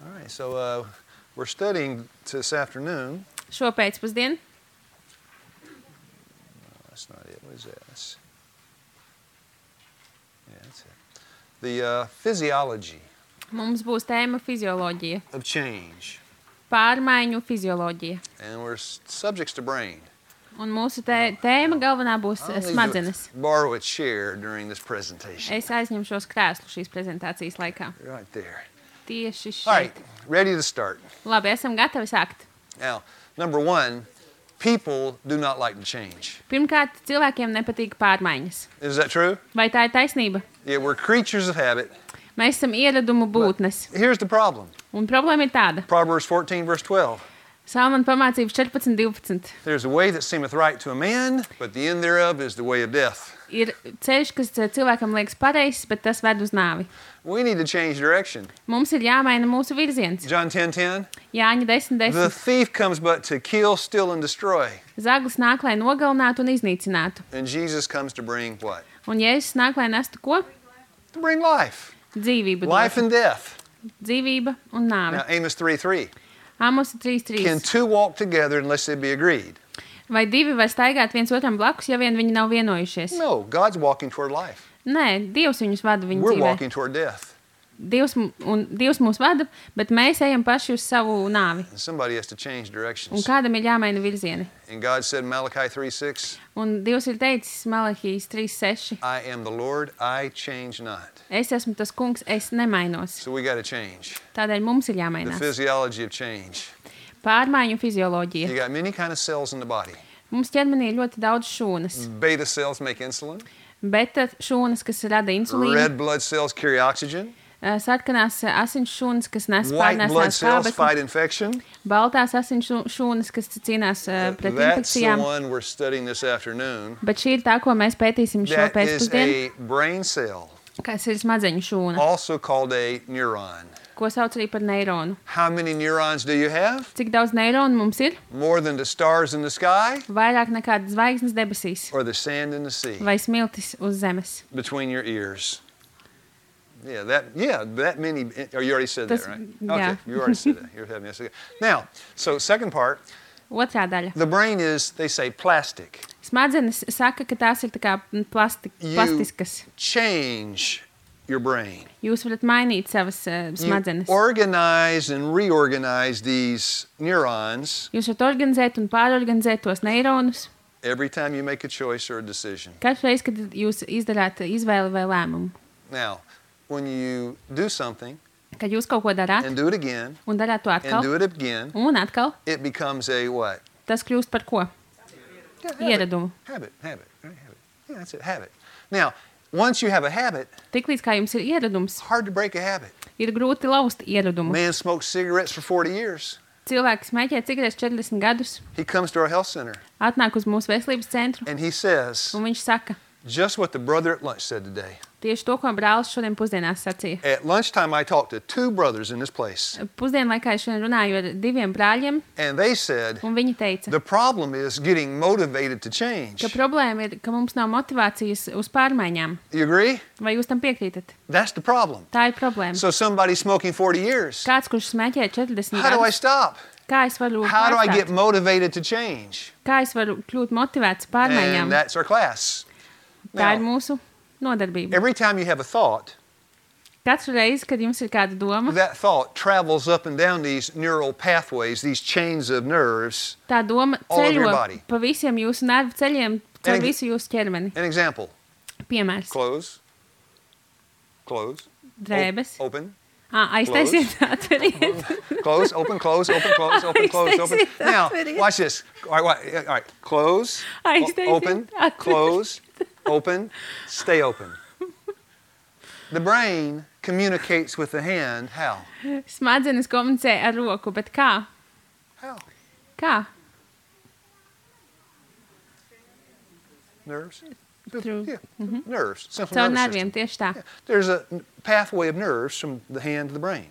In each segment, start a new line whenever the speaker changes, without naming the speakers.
All right, so we're studying this afternoon.
Šo pēcpusdienu.
No, that's not it. What is that? Yeah, that's it. The physiology
Mums būs tēma fizioloģija.
of change.
Pārmaiņu fizioloģija.
And we're subjects to brain.
Un mūsu tēma galvenā būs
I'll need to
smadzenes.
borrow a chair during this presentation.
Es aizņemšos krēslu šīs prezentācijas laikā.
Right there.
Tieši
All right,
šeit.
ready to start.
Labi, esam gatavi sākt.
Now, number one, people do not like to change.
Pirmkārt, cilvēkiem nepatīk pārmaiņas.
Is that true?
Vai tā ir taisnība?
Yeah, we're creatures of habit.
Mēs esam ieradumu būtnes.
Here's the problem.
Un problēma ir tāda.
Proverbs 14, verse 12.
Salmana pamācības 14:12.
There's a way that seemeth right to a man, but the end thereof is the way of death.
Ir ceļš, kas cilvēkam liekas pareizs, bet tas ved uz nāvi.
We need to change direction.
Mums ir jāmaina mūsu virziens.
John 10:10.
Jāņa 10:10.
The thief comes but to kill, steal, and destroy.
Zaglis nāk, lai nogalinātu un iznīcinātu.
And Jesus comes to bring what?
Un Jēzus nāk, lai nestu ko?
To bring life.
Dzīvību.
Life and death.
Dzīvība un nāve.
Now, Amos 3:3.
Amos
Can
3:3.
two walk together unless they be agreed?
Vai divi var staigāt viens otram blakus, ja vien viņi nav vienojušies?
No, God's walking toward life.
Nē, Dievs viņus vada viņu
We're
dzīvē.
walking toward death.
Dievs mūs vada, bet mēs ejam paši uz savu nāvi.
And somebody has to change
Un
directions.
kādam ir jāmaina virzieni.
And God said in Malachi 3:6,
Un Dievs ir teicis Malahijas 3:6.
I am the Lord, I change not.
Es esmu tas kungs, es nemainos.
So we got to change.
Tādēļ mums ir
The
jāmainās.
physiology of change.
Pārmaiņu fizioloģija.
You got many kind of cells in the body.
Mums ķermenī ir ļoti daudz šūnas.
Beta cells make insulin.
Beta šūnas, kas rada insulīnu.
Red blood cells carry oxygen.
Sarkanās asins šūnas, kas nes
White blood
pārnēsās
cells
skābekli.
fight infection.
Baltās asins šūnas, kas cīnās pret
That's the
infekcijām.
one we're studying this afternoon.
Bet šī ir tā, ko mēs pētīsim šo
That is
pēcpusdienu,
a brain cell,
kas ir smadzeņu šūna,
also called a neuron.
ko sauc arī par neironu.
How many neurons do you have?
Cik daudz neironu mums ir?
More than the stars in the sky
Vairāk nekā zvaigznes debesīs
or the sand in the sea
vai smiltis uz zemes.
between your ears? Yeah, that many. Oh, you already said that,
Tas-
right?
yeah.
Okay, you already said that. You're having this again. Now, so second part,
Otrā daļa.
the brain is, they say, plastic.
Smadzenes saka, ka tās ir tā kā
You
plastiskas.
change your brain.
Jūs varat mainīt savas smadzenes.
You organize and reorganize these neurons
Jūs varat organizēt un pārorganizēt tos neironus
every time you make a choice or a decision.
katru reizi, kad jūs izdarāt izvēli vai lēmumu.
Now, when you do something
Kad jūs kaut ko darāt
and do it again
un darāt to
and
atkal
do it again,
un atkal,
it becomes a what?
tas kļūst par ko?
Yeah,
Ieradumu.
Habit, right, habit. Yeah, that's it, habit. Now, once you have a habit,
Tiklīdz kā jums ir ieradums,
hard to break a habit.
ir grūti lauzt ieradumu.
Man smoked cigarettes for 40 years.
Cilvēks smēķē cigaretes 40 gadus,
He comes to our health center
atnāk uz mūsu veselības centru
and he says,
un viņš saka,
just what the brother at lunch said today.
tieši to, ko brālis šodien pusdienās sacīja.
At lunchtime, I talked to two brothers in this place,
Pusdienu laikā es šodien runāju ar diviem brāļiem,
and they said,
un viņi teica,
the problem is getting motivated to change.
ka problēma ir, ka mums nav motivācijas uz pārmaiņām.
You agree?
Vai jūs tam piekrītat?
That's the problem.
Tā ir problēma.
So somebody smoking 40 years,
Kāds, kurš smēķē 40
how do I
gadus,
stop?
kā es varu
How do I get
pārstāt?
motivated to change?
Kā es varu kļūt motivēts
And
pārmaiņām?
that's our class.
Tā ir
Now,
mūsu nodarbība.
every time you have a thought,
Katru reizi, kad jums ir kāda doma,
that thought travels up and down these neural pathways, these chains of nerves.
tā doma
all over your
ceļo
body.
pa visiem jūsu nervu ceļiem, caur
And-
visu jūsu ķermeni.
An example,
Piemērs.
close,
Drēbes.
open,
Aiztaisiet, atveriet.
close, open, close, open, close, open, close, open.
Aiztaisiet,
Now,
atveriet.
watch this. All right, close,
Aiztaisiet,
open,
atveriet.
close, open, stay open. The brain communicates with the hand, how?
Smadzenes komunicē ar roku, bet kā?
How?
Kā?
Nerves?
Through-
Yeah, nerves. Central
Caur
nervous
nerviem,
system.
tieši tā.
Yeah. There's a pathway of nerves from the hand to the brain.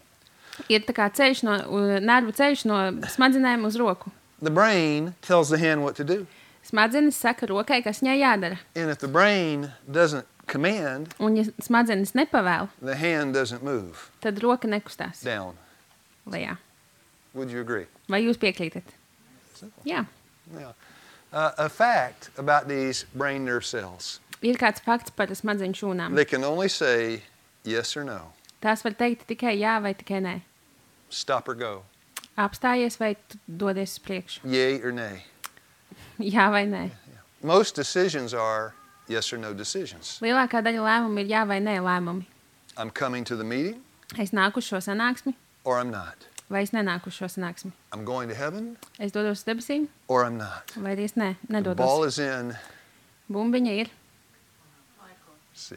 Ir tā kā ceļš nervu ceļš no smadzenēm uz roku.
The brain tells the hand what to do.
Smadzenes saka rokai, kas viņai jādara.
And if the brain doesn't command,
Un ja smadzenes nepavēl,
the hand doesn't move
tad roka nekustās.
down.
lejā.
Would you agree?
Vai jūs piekrītat?
Simple.
Jā.
Yeah. A fact about these brain nerve cells.
Ir kāds fakts par smadzeņu šūnām.
They can only say yes or no.
Tās var teikt tikai jā vai tikai nē.
Stop or go.
Apstājies vai tu dodies uz priekšu.
Yay or nay.
Jā vai nē.
Most decisions are yes or no decisions.
Lielākā daļa lēmumu ir jā vai nē lēmumi.
I'm coming to the meeting
Es nāku uz šo sanāksmi
or I'm not.
vai es nenāku uz šo sanāksmi.
I'm going to heaven
Es dodos uz debesīm
or I'm not.
vai arī es
The
nedodos.
ball is in.
Bumbiņa ir
See.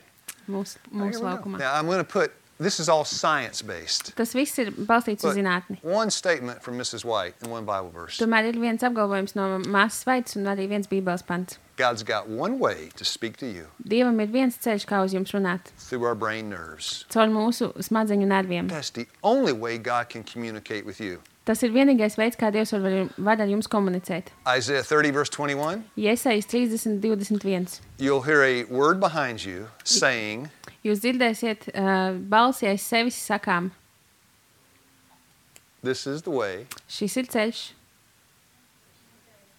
mūsu
Here we go.
laukumā.
Now I'm going to put, this is all science-based.
Tas viss ir balstīts uz
But
zinātni.
one statement from Mrs. White and one Bible verse.
Tomēr ir viens apgalvojums no māsas Vaitas un arī viens bībeles pants.
God's got one way to speak to you,
Dievam ir viens ceļš, kā uz jums runāt.
through our brain nerves.
Caur mūsu smadzeņu nerviem.
That's the only way God can communicate with you.
Tas ir vienīgais veids, kā Dievs var ar jums komunicēt.
Isaiah 30, verse 21,
Iesaijas 30:21.
you'll hear a word behind you saying,
Jūs dzirdēsiet balsi aiz sevis sakām,
this is the way,
šis ir ceļš,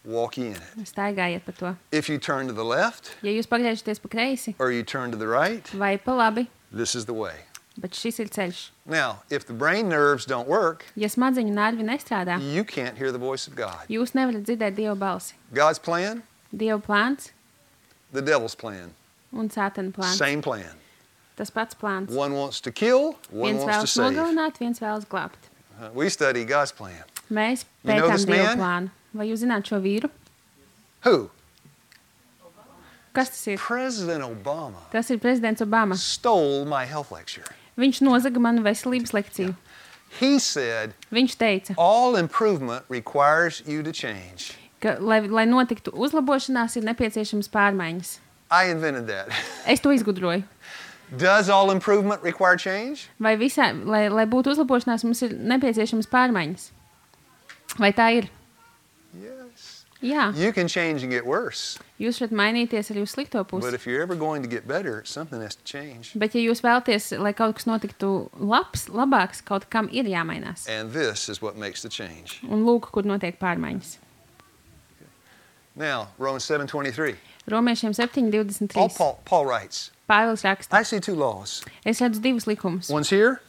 walk ye in it.
staigājiet pa to.
If you turn to the left
Ja jūs pagriežaties pa kreisi
or you turn to the right,
vai pa labi,
this is the way.
bet šis ir ceļš.
Now, if the brain nerves don't work,
Ja smadzeņu nervi nestrādā,
you can't hear the voice of God.
jūs nevarat dzirdēt Dieva balsi.
God's plan,
Dieva plāns
the devil's plan.
un sātana plāns.
Same plan.
Tas pats plāns.
One wants to kill, one
Viens
wants to
vēlas
save.
nogalināt, viens vēlas glābt.
We study God's plan.
Mēs
You know
pētām
this
Dieva
man?
plānu. Vai jūs zināt šo vīru?
Who?
Kas tas ir?
President Obama
Tas ir prezidents Obama.
stole my health lecture.
Viņš nozaga manu veselības lekciju.
He said,
Viņš teica,
all improvement requires you to change.
ka, lai notiktu uzlabošanās, ir nepieciešamas pārmaiņas.
I invented that.
Es to izgudroju.
Does all improvement require change?
Vai visā, lai būtu uzlabošanās, mums ir nepieciešamas pārmaiņas? Vai tā ir?
Yes.
Jā.
You can change and get worse.
Jūs varat mainīties arī uz slikto
But
pusi.
if you're ever going to get better, something has to change.
Bet, ja jūs vēlaties, lai kaut kas notiktu labāks, kaut kam ir jāmainās.
And this is what makes the change.
Un lūk, kur notiek pārmaiņas.
Now, Romans 7:23.
Romiešiem 7:23.
Paul writes,
Pāvils raksta,
I see two laws.
es redzu divus likumus.
One's here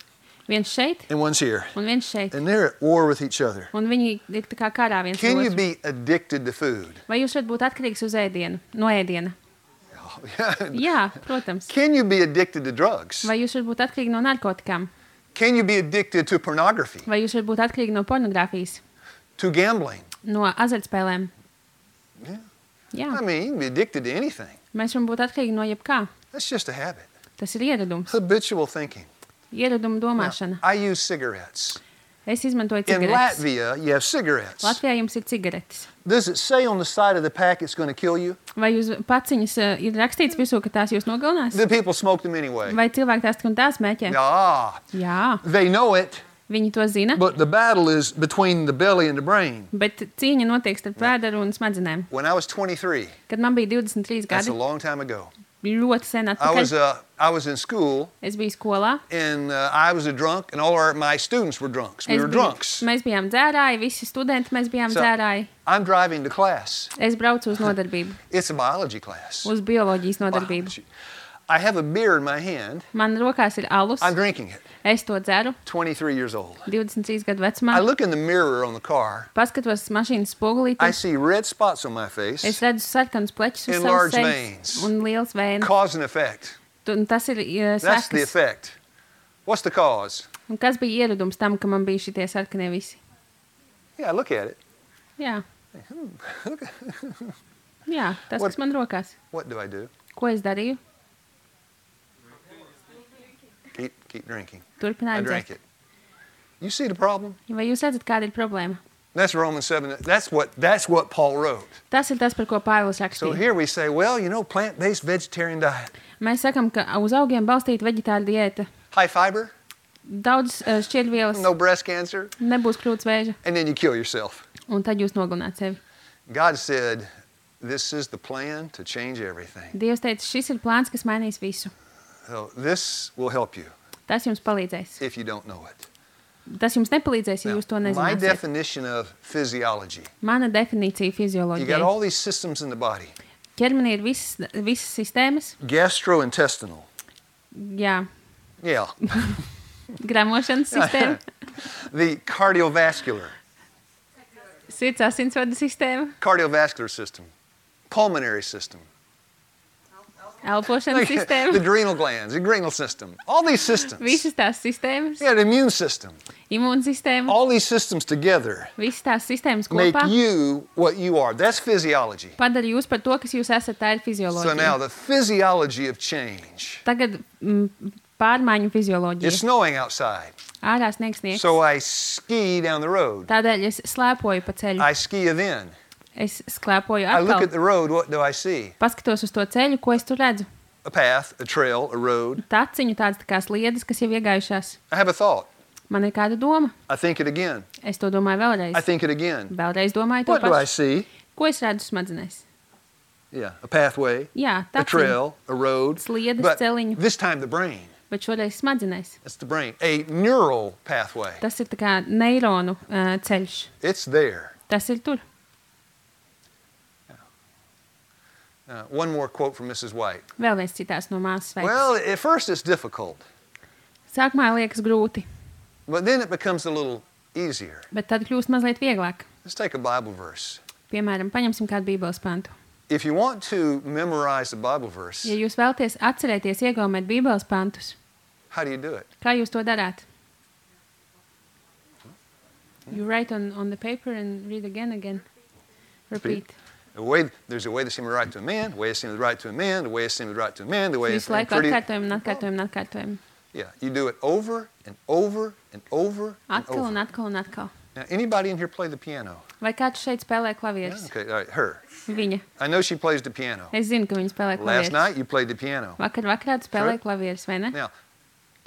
Viens šeit
and one's here.
un viens šeit.
And they're at war with each other.
Un viņi ir tā kā karā viens
Can you
otru.
be addicted to food?
Vai jūs varat būt atkarīgs uz ēdienu, no ēdiena? Jā, protams.
Can you be addicted to drugs?
Vai jūs varat būt atkarīgi no narkotikām?
Can you be addicted to pornography?
Vai jūs varat būt atkarīgi no pornogrāfijas,
To gambling?
no azartspēlēm?
Yeah.
Jā,
I mean, you can be addicted to anything.
mēs varam būt atkarīgi no jebkā.
That's just a habit.
Tas ir ieradums,
Habitual thinking.
ieraduma
Now,
domāšana.
I use cigarettes.
Es izmantoju
In
cigaretes.
Latvia, you have cigarettes.
Latvijā jums ir cigaretes.
Does it say on the side of the pack it's going to kill you?
Vai jūs paciņas ir rakstīts virsū, ka tās jūs nogalinās?
The people smoke them anyway.
Vai cilvēki tās tik un tās mēķē?
Ah,
Jā,
they know it,
viņi to zina,
but the battle is between the belly and the brain.
bet cīņa notiek starp vēderu un smadzenēm.
When I was 23,
Kad man bija 23
that's a
gadi,
long time ago,
ļoti sen
I
atpakaļ,
was in school
es biju skolā.
and I was a drunk and all my students were drunks. We were drunks.
Mēs bijām dzērāji, visi studenti mēs bijām
So-
dzērāji.
I'm driving to class.
Es braucu uz nodarbību,
It's a biology class.
uz bioloģijas nodarbību.
Biology. I have a beer in my hand.
Man rokās ir alus,
I'm drinking it.
es to dzeru,
23 years old.
23 gadu
I
vecumā.
look in the mirror on the car.
Paskatos mašīnas
I
spogulīti,
see red spots on my
es
face.
redzu sarkanus pleķus uz savas
Enlarged
sejas
veins.
un liels vēns.
Cause and effect.
Un tas ir
That's the
sekas.
effect. What's the cause?
Un kas bija ieradums tam, ka man bija šitie sarkanie visi?
Yeah, look at it.
Jā. Jā, tas, kas man rokās.
What do I do?
Ko es darīju?
Keep drinking. I
Turpināju
drank
dzert.
it. You see the problem?
Vai jūs redzat, kāda ir problēma?
That's Romans 7. That's what Paul wrote.
Tas ir tas, par ko Pāvils
So
rakstīja.
here we say, well, you know, plant-based vegetarian diet.
Mēs sakam, ka uz augiem balstīta veģetāra diēta,
High fiber,
daudz šķiedrvielas,
no breast cancer,
nebūs krūts vēža,
and then you kill yourself.
un tad jūs nogalināt sevi.
God said, this is the plan to change everything.
Dievs teica, šis ir plāns, kas mainīs visu.
So this will help you
Tas jums palīdzēs.
if you don't know it.
tas jums nepalīdzēs, ja
Now,
jūs to
my
nezināsiet.
definition of physiology.
Mana definīcija
You got
fizioloģijai.
all these systems in the body.
Ķermenī ir visas sistēmas,
Gastrointestinal.
jā,
Yeah.
gramošanas sistēma,
The cardiovascular.
sirds asinsvadu sistēma,
Cardiovascular system. Pulmonary system.
elpošanas
The
sistēma,
adrenal glands, adrenal system. All these systems.
visas tās sistēmas,
Yeah, the immune system.
imūnsistēma,
All these systems together
visas tās sistēmas
make
kopā
you what you are. That's physiology.
padara jūs par to, kas jūs esat. Tā ir
So now
fizioloģija.
the physiology of change.
Tagad pārmaiņu
It's
fizioloģija.
snowing outside.
Ārā sniegs sniegs.
So I ski down the road.
Tādēļ es slēpoju pa ceļu.
I ski then.
Es slēpoju
I look at
atkal.
the road. What do I see?
Paskatos uz to ceļu, ko es tur redzu.
A path, a trail, a road.
Taciņu tādas tā kā sliedes, kas jau iegājušās.
I have a thought.
Man ir kāda doma.
I think it again.
Es to domāju vēlreiz.
I think it again.
Vēlreiz domāju to
What do I
pašu.
see?
Ko es redzu smadzenēs?
Yeah, a pathway,
Jā,
a
taciņu.
trail, a road.
Sliedes,
But
celiņu.
this time the brain.
Bet šoreiz smadzenēs.
That's the brain. A neural pathway.
Tas ir tā kā neironu ceļš.
It's there.
Tas ir tur.
One more quote from Mrs. White.
Vēl viens citāts no māsas veids.
Well, at first it's difficult,
Sākumā liekas grūti,
but then it becomes a little easier.
bet tad kļūst mazliet vieglāk.
Let's take a Bible verse.
Piemēram, paņemsim kādu bībeles pantu.
If you want to memorize the Bible verse,
Ja jūs vēlaties atcerēties iegaumēt bībeles pantus,
how do you do it?
kā jūs to darāt? You write on the paper and read again. Repeat.
There's a way that seems right to a man, the way it seems right to a man, the way it seems right to a man, the way it's
Visu laiku atkārtojam un atkārtojam un atkārtojam.
Yeah, you do it over and over and over and
Atkal un
over.
atkal un atkal.
Now, anybody in here play the piano?
Vai kāds šeit spēlē
Yeah,
klavierus?
okay, all right, her.
Viņa.
I know she plays the piano.
Es zinu, ka viņa spēlē
Last
klavierus.
night you played the piano.
Vakarā tu spēlēji
Sure.
klavierus, vai ne?
Now,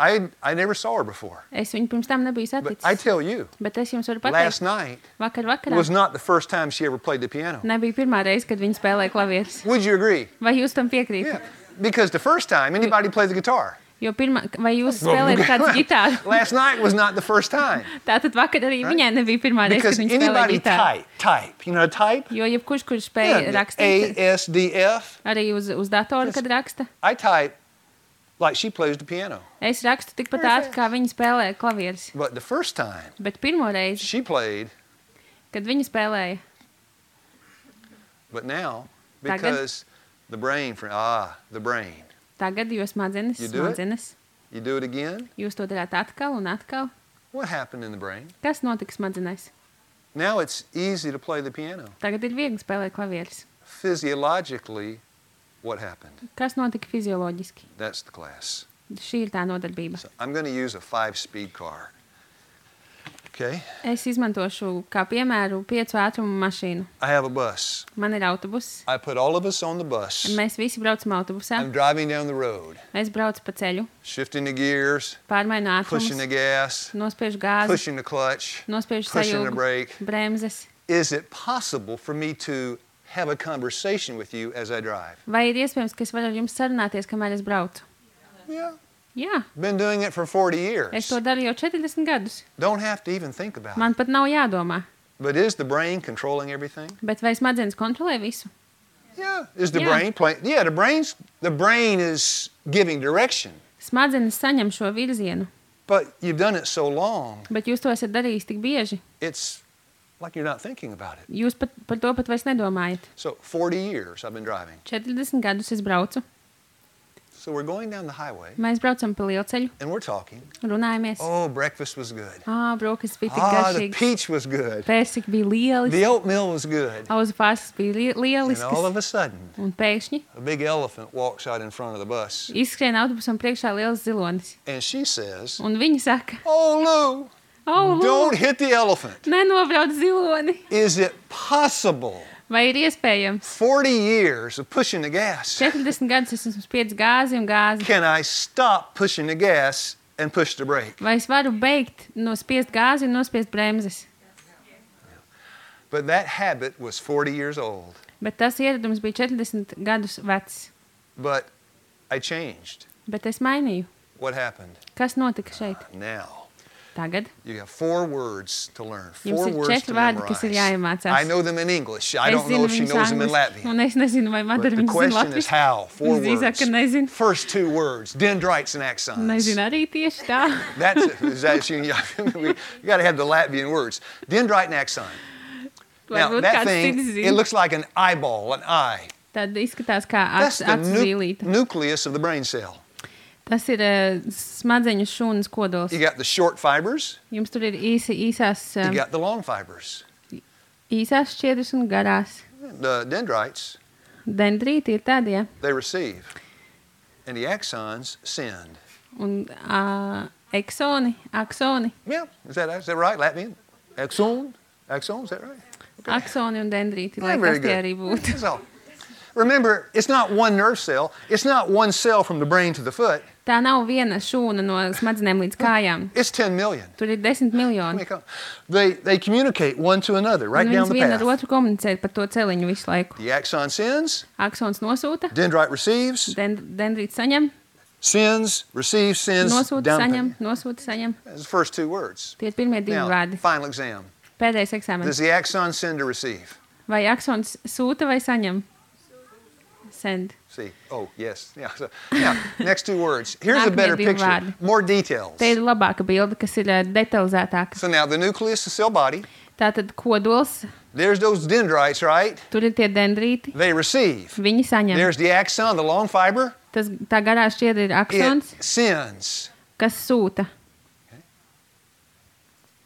I never saw her before,
Es viņu pirms tam nebiju
but I
saticis.
tell you,
Bet es jums varu
last
pateikt,
night
vakarā
was not the first time she ever played the piano.
nebija pirmā reize, kad viņa spēlēja klavierus.
Would you agree?
Vai jūs tam
Yeah,
piekrītat?
because the first time anybody played the guitar.
Jo vai jūs spēlējat kādu ģitāru?
Last night was not the first time.
Tātad vakar arī viņai nebija pirmā reize,
Because
kad viņa spēlēja
anybody
ģitāru.
type. You know how to type?
Jo jebkurš, kurš spēja
Yeah,
rakstīt,
ASDF.
arī uz datoru, kad raksta,
I type like she plays the piano.
es rakstu tikpat ātri, kā viņa spēlē klavierus.
But the first time
Bet pirmo reizi,
she played,
kad viņa spēlēja,
but now,
Tagad?
because the brain, the brain.
tagad, jo smadzenes,
You do it? You do it again.
jūs to darāt atkal un atkal.
What happened in the brain?
Kas notika smadzenēs?
Now it's easy to play the piano.
Tagad ir viegli spēlēt klavierus.
Physiologically, what happened?
Kas notika fizioloģiski?
That's the class.
Šī ir tā nodarbība.
So I'm going to use a 5-speed car. Okay?
Es izmantošu kā piemēru 5 ātrumu mašīnu.
I have a bus.
Man ir autobus.
I put all of us on the bus.
Mēs visi braucam autobusā.
I'm driving down the road,
Es braucu pa ceļu,
shifting the gears,
pārmainu
pushing the
ātrumus,
gas,
nospiežu gāzi,
pushing the clutch,
nospiežu
pushing the
sajūgu,
brake.
bremzes.
Is it possible for me to have a conversation with you as I drive?
Vai ir iespējams, ka es varu ar jums sarunāties, kamēr es braucu?
Yeah.
Jā,
Been doing it for 40
es
years.
to daru jau 40 gadus.
Don't have to even think about it.
Man pat nav jādomā.
But is the brain controlling everything?
Bet vai smadzenes kontrolē visu?
Yeah. Is the
Yeah.
brain playing? Yeah, the brain is giving direction.
Smadzenes saņem šo virzienu,
But you've done it so long,
bet jūs to esat darījis tik bieži.
it's like you're not thinking about it.
Jūs pat par to pat vairs nedomājat.
So 40 years I've been driving.
40 gadus es braucu.
So we're going down the highway
Mēs braucam pa lielceļu,
and we're talking.
runājamies.
Oh, breakfast was good.
Brokas bija tik
The
garšīgas.
peach was good.
Pērsiki bija lieli.
The oatmeal was good.
Auzu pārslas bija
And all
lieliskas.
of a sudden,
Un pēkšņi
a big elephant walks out in front of the bus.
izskrien autobusam priekšā liels zilonis.
And she says,
Un viņi saka,
"Oh, Lou, don't
lūk,
hit the elephant.
nenobrauc ziloni.
Is it possible?
Vai ir iespējams?
40 years of pushing the gas.
40 gadus es esmu spiedis gāzi un gāzi.
Can I stop pushing the gas and push the brake?"
Vai es varu beigt nospiest gāzi un nospiest bremzes?
But that habit was 40 years old.
Bet tas ieradums bija 40 gadus vecs.
But I changed.
Bet es mainīju.
What happened?
Kas notika šeit?
Now,
Tagad
You have 4 words to learn. 4
jums ir
words
4
to
vārdi, kas ir
memorize.
jāiemācās.
I know them in English. I
Es
don't know
zinu
if she
viņus
knows them in
angliski,
Latvian.
un es nezinu, vai
But
Madara
the
viņus zina
question is
latviski.
how? 4
Visdrīzāk, ka
words.
nezinu.
First 2 words, dendrites and axons.
Nezinu arī tieši tā.
That's it. Is that you got to have the Latvian words. Dendrite and axon. Now,
Varbūt
that
kāds
thing,
cits
it
zina.
looks like an eyeball, an eye.
Tad izskatās kā
That's the
acu zīlīte.
nucleus of the brain cell.
Tas ir smadzeņu šūnas kodols.
You got the short fibers,
Jums tur ir īsās
you got the long fibers.
šķiedras un garās.
The dendrites,
Dendrīti ir tādi,
they receive. And the axons send.
un aksoni.
Yeah, is that right, Latvian? Axon? Axon, is that right?
Aksoni un dendrīti,
Yeah,
lai
very
kas tie
good.
arī būtu.
That's all. Remember, it's not one nerve cell. It's not one cell from the brain to the foot.
Tā nav viena šūna no smadzenēm līdz kājām.
It's 10 million.
Tur ir 10 miljoni.
They communicate one to another right
Un
down
viens
the
viena ar
path.
otru komunicē par to celiņu visu laiku.
The axon sends,
Aksons nosūta,
dendrite receives,
dendrīts saņem,
sends, receives, sends,
nosūta,
down the
saņem,
path.
nosūta, saņem.
That's the first 2 words.
Tie ir pirmie 2
Now,
vārdi.
final exam.
Pēdējais eksāmenis.
Does the axon send or receive?
Vai aksons sūta vai saņem? Send.
See. Oh, yes. Yeah. So, now, next 2 words. Here's a
Nākamie
better
2
picture.
vārdi.
More details.
Te ir labāka bilde, kas ir detalizētāka.
So now the nucleus, the cell body,
Tātad kodols,
there's those dendrites, right?
tur ir tie dendrīti,
They receive.
viņi saņem.
There's the axon, the long fiber.
Tā garā šķiedra ir
It
aksons,
sends.
kas sūta.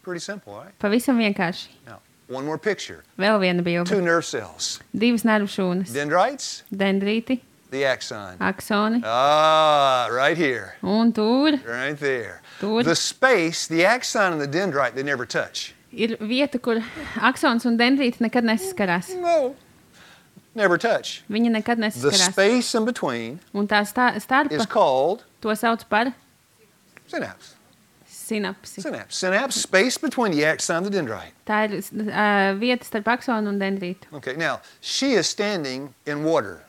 Pretty simple, right?
Pavisam vienkārši.
Now, one more picture.
Vēl viena bilde.
2 nerve cells.
2 nervu šūnas.
Dendrites,
Dendrīti,
the axon.
aksoni
Ah, right here.
un tur
Right there.
Tur.
The space, the axon and the dendrite, they never touch.
ir vieta, kur aksons un dendrīti nekad nesaskarās.
No. Never touch.
Viņi nekad
The
nesaskarās.
space in between
Un tā
is
starpa,
called
to sauc par
synapse.
sinapsi.
Synapse. Synapse, space between the axon and the dendrite.
Tā ir vieta starp aksonu un dendrītu.
Okay, now, she is standing in water.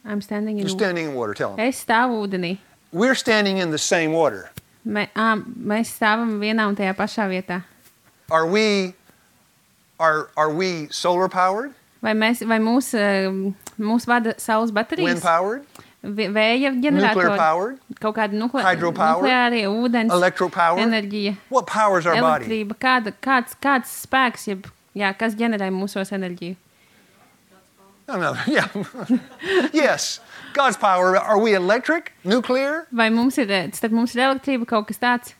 I'm standing in
You're standing in water, tell them.
Es stāvu ūdenī.
We're standing in the same water.
Mēs stāvam vienā un tajā pašā vietā.
Are we solar powered?
Vai mūs vada saules
Wind
baterijas,
powered?
vēja
Nuclear
ģeneratori,
powered?
kaut kāda
Hydropower?
nukleārie ūdens,
Electro powered?
enerģija,
What powers our body?
elektrība, kāds spēks, kas ģenerē mūsos enerģiju?
No, yeah. Yes, God's power. Are we electric? Nuclear?
Vai starp mums ir elektrība, kaut kas tāds?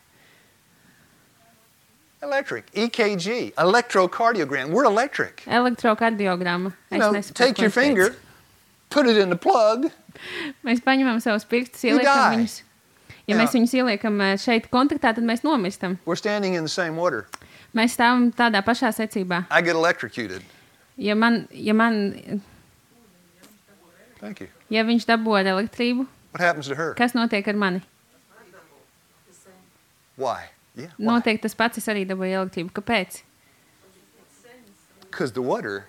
Electric. EKG. Electrocardiogram. We're electric.
Elektrokardiogramma.
You know, take your finger, put it in the plug.
Mēs paņemam savus pirkstus,
You
ieliekam
die.
viņus. Ja
Jā.
mēs viņus ieliekam šeit kontaktā, tad mēs nomistam.
We're standing in the same water.
Mēs stāvam tādā pašā secībā.
I get electrocuted.
Ja
Thank you.
viņš dabū ar elektrību,
What happens to her?
kas notiek ar mani?
Why? Yeah.
Notiek tas pats, es arī dabūju elektrību. Kāpēc?
Because the water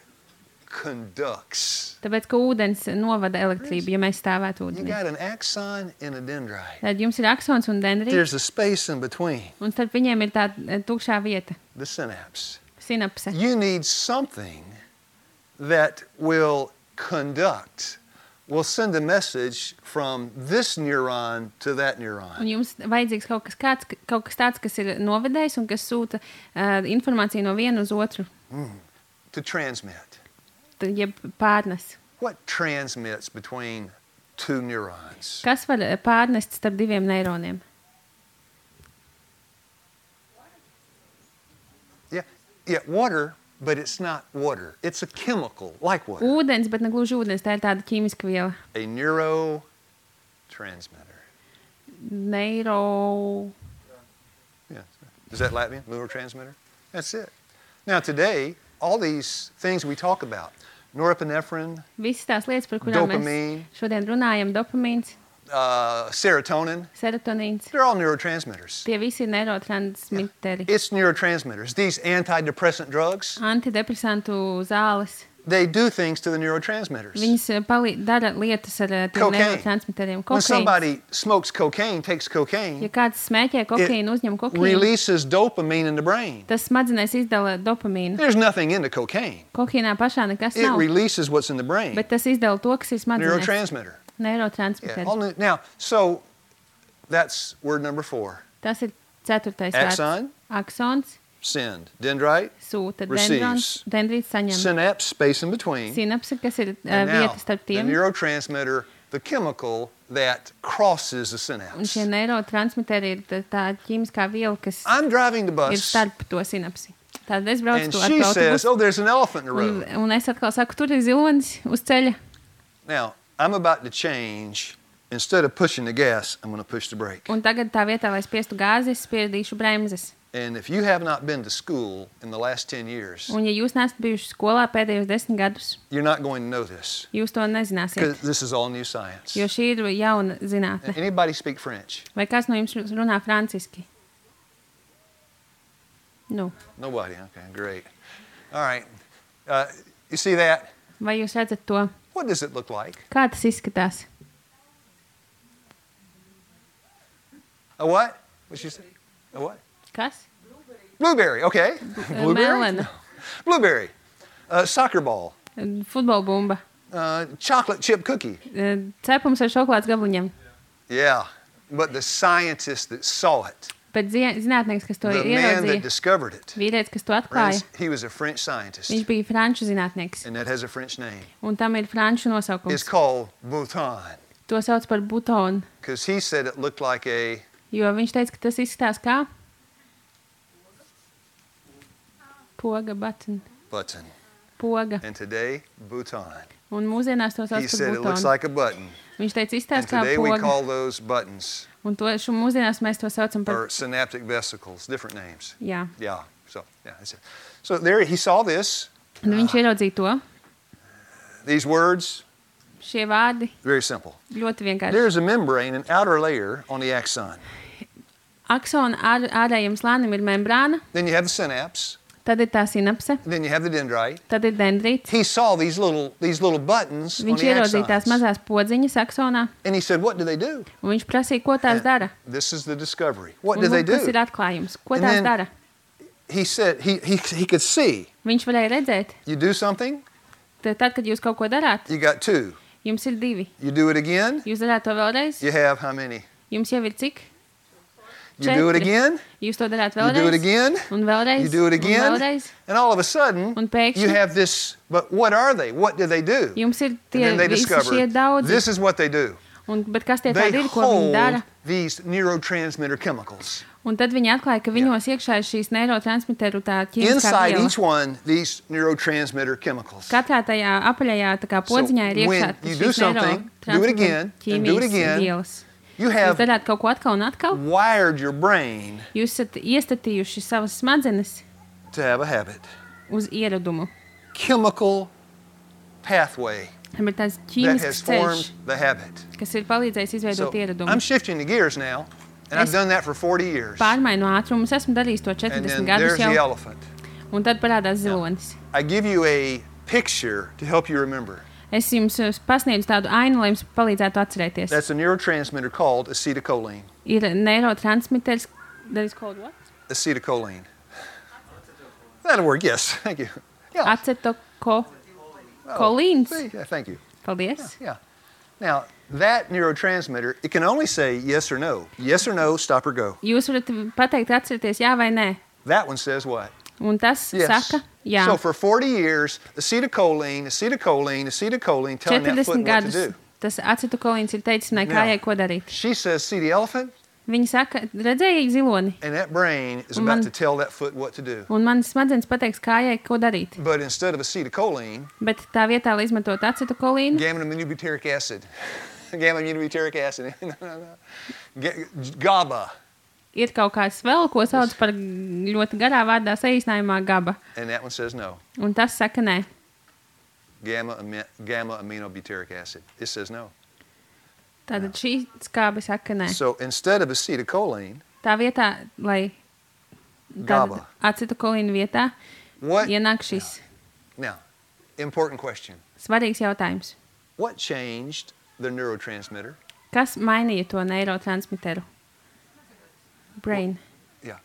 conducts.
Tāpēc, ka ūdens novada elektrību, ja mēs stāvētu
You
ūdenī.
got an axon and a dendrite.
Tad jums ir aksons un dendrīts,
There's a space in between.
un starp viņiem ir tā tukšā vieta,
The synapse.
sinapse.
You need something that will conduct, will send a message from this neuron to that
Un
neuron.
jums vajadzīgs kaut kas tāds, kas ir novedējis un kas sūta informāciju no viena uz otru,
To transmit.
jeb pārnes.
What transmits between 2 neurons?
Kas var pārnest starp 2 neironiem?
Yeah, water, but it's not water. It's a chemical, like water.
Ūdens, bet ne gluži ūdens, tā ir tāda ķīmiska viela.
A neurotransmitter.
Neiro...
Yeah. Is that Latvian? Neurotransmitter? That's it. Now today, all these things we talk about, norepinephrine,
Visas tās lietas, par kurām
Dopamīna.
mēs šodien runājam, dopamīns,
serotonin,
serotonīns,
they're all neurotransmitters.
tie visi ir neurotransmiteri.
It's neurotransmitters. These antidepressant drugs,
Antidepresantu zāles,
they do things to the neurotransmitters.
Viņas dara lietas ar tiem
Cocaine.
neurotransmiteriem.
When
Kokaīns.
somebody smokes cocaine, takes
Ja
cocaine,
kāds smēķē kokaīnu, uzņem kokaīnu,
releases dopamine in the brain.
tas smadzenēs izdala dopamīnu.
There's nothing in the cocaine.
Kokaīnā pašā nekas
It
nav,
releases what's in the brain.
bet tas izdala to, kas ir smadzenēs.
Neurotransmitter. Yeah.
Neurotransmiteri.
Now, so that's word number 4.
Tas ir 4. vārds.
Axon.
Aksons
Send. Dendrite.
sūta,
Receives.
dendrīts saņem.
Synapse, space in between.
Sinapse, kas ir
And now,
vieta starp
the
tiem.
neurotransmitter, the chemical that crosses the
Un
synapse.
šie neurotransmiteri ir tā ķīmiskā viela, kas
I'm driving the
ir
bus,
starp to sinapsi. Tad es braucu
and
to ar
she says,
autobusu,
oh, there's an elephant in the road.
un es atkal saku, tur ir zilonis uz ceļa.
Now, I'm about to change. Instead of pushing the gas, I'm going to push the brake.
Un tagad tā vietā, lai spiestu gāzi, es spiedīšu bremzes.
And if you have not been to school in the last 10 years,
Un ja jūs neesat bijuši skolā pēdējos 10 gadus,
you're not going to know this
jūs to nezināsiet,
because this is all new science.
jo šī ir jauna zinātne.
Anybody speak French?
Vai kāds no jums runā franciski? Nu,
Nobody. Okay, great. All right. You see that?
vai jūs redzat to?
What does it look like?
Kā tas izskatās?
A what? What'd she say? A what?
Kas?
Blueberry. Okay. Blueberry?
Melena.
Blueberry. Soccer ball.
Futbola bumba.
Chocolate chip cookie.
Cepums ar šokolādes gabaliņiem.
Yeah. But the scientist that saw it,
Bet zinātnieks, kas to
the man that
ieraudzīja,
discovered it,
vīrietis, kas to atklāja,
friends, he was a French scientist,
viņš bija franču zinātnieks.
and that has a French name.
Un tam ir franču
It's
nosaukums.
called Bhutan,
To sauc par butonu,
because he said it looked like a
jo viņš teica, ka tas izskatās kā poga, button,
button.
poga.
And today, Bhutan.
Un mūsdienās to sauc
He
par
said it looks
butonu.
like a button.
Viņš teica,
And
izskatās kā
today we
poga.
call those buttons
Un to mūsdienās mēs to saucam par...
or synaptic vesicles, different names.
Jā.
Yeah. So yeah, that's it. So there he saw this.
Un viņš ieraudzīja to.
These words,
Šie vārdi
very simple.
ļoti vienkārši.
There's a membrane, an outer layer on the axon.
Aksona ārējiem slānim ir membrāna,
Then you have the synapse.
tad ir tā sinapse,
Then you have the dendrite.
tad ir dendrīts.
He saw these little buttons on
Viņš
the
ieraudzīja tās
axons.
mazās podziņas aksonā,
And he said, what do they do?
un viņš prasīja, ko tās dara.
This is the discovery. What
Un
do they
kas ir
do?
atklājums? Ko
And
tās
then-
dara?
He said he could see.
Viņš varēja redzēt,
You do something,
tad, kad jūs kaut ko darāt,
you got 2.
jums ir 2.
You do it again,
Jūs darāt to vēlreiz,
you have how many?
jums jau ir cik?
You do it
4.
again,
Jūs to darāt
you do it
vēlreiz,
again,
un vēlreiz,
you do it
un
again,
vēlreiz.
and all of a sudden,
Un pēkšņi-
you have this, but what are they? What do they do?
Jums ir
And
tie
then they
visi šie
discovered,
daudzi.
this is what they do.
Bet kas tie
They
tādi ir, ko viņi
hold
dara?
these neurotransmitter chemicals.
Un tad viņi atklāja, ka viņos iekšā ir šīs neurotransmitteru tā ķīmiskā
Inside
viela.
each one, these neurotransmitter chemicals.
Katrā tajā apaļajā tā kā podziņā ir
when
iekšā
you do
šīs
something, do it again, and do it
ķīmijas
again,
vielas.
You
Jūs
have
darāt kaut ko atkal un atkal.
wired your brain
Jūs esat iestatījuši savas smadzenes
to have a habit.
uz ieradumu.
Chemical pathway
Tam ir tāds
that
ķīmisks
has
ceļš,
formed the habit.
kas ir palīdzējis
So
izveidot ieradumu.
I'm shifting the gears now, and I've
Es-
done that for 40 years.
Pārmainu ātrumu. Es esmu darījis to
And
40
then
gadus
there's the
jau.
elephant.
Un tad parādās zilonis.
I give you a picture to help you remember.
Es jums pasniedzu tādu ainu, lai jums palīdzētu atcerēties.
That's a neurotransmitter called acetylcholine.
Ir neurotransmitters. That is called what?
Acetylcholine. That'll work, yes. Thank you. Yeah.
Acetokolīns.
See? Yeah, thank you.
Paldies.
Yeah. Now, that neurotransmitter, it can only say yes or no. Yes or no, stop or go.
Jūs varat pateikt, atcerieties, jā vai nē.
That one says what?
Un tas
Yes.
saka, jā.
So for 40 years, acetylcholine, telling that foot
40
what to
gadus
do.
tas acetokolīns ir teicis manai
Now,
kājai, ko darīt.
She says, see the elephant?
Viņa saka, redzēji ziloni,
And that brain is
Un
about
man-
to tell that foot what to do.
un manas smadzenes pateiks kājai, ko darīt.
But instead of acetylcholine,
Bet tā vietā, lai izmantot acetokolīnu,
gamma-aminobutyric acid. Gamma-aminobutyric acid. GABA.
ir kaut kāds vēl, ko sauc par ļoti garā vārdā saīsinājumā GABA.
And that one says no.
Un tas saka nē.
Gamma-aminobutyric acid. It says no.
Tātad šī skābe saka nē.
So instead of acetylcholine,
Tā vietā, lai
GABA.
acetokolīnu vietā
what?
ienāk šis.
Now, important question.
Svarīgs jautājums.
What changed the neurotransmitter?
Kas mainīja to neirotransmiteru? Brain.
Yeah.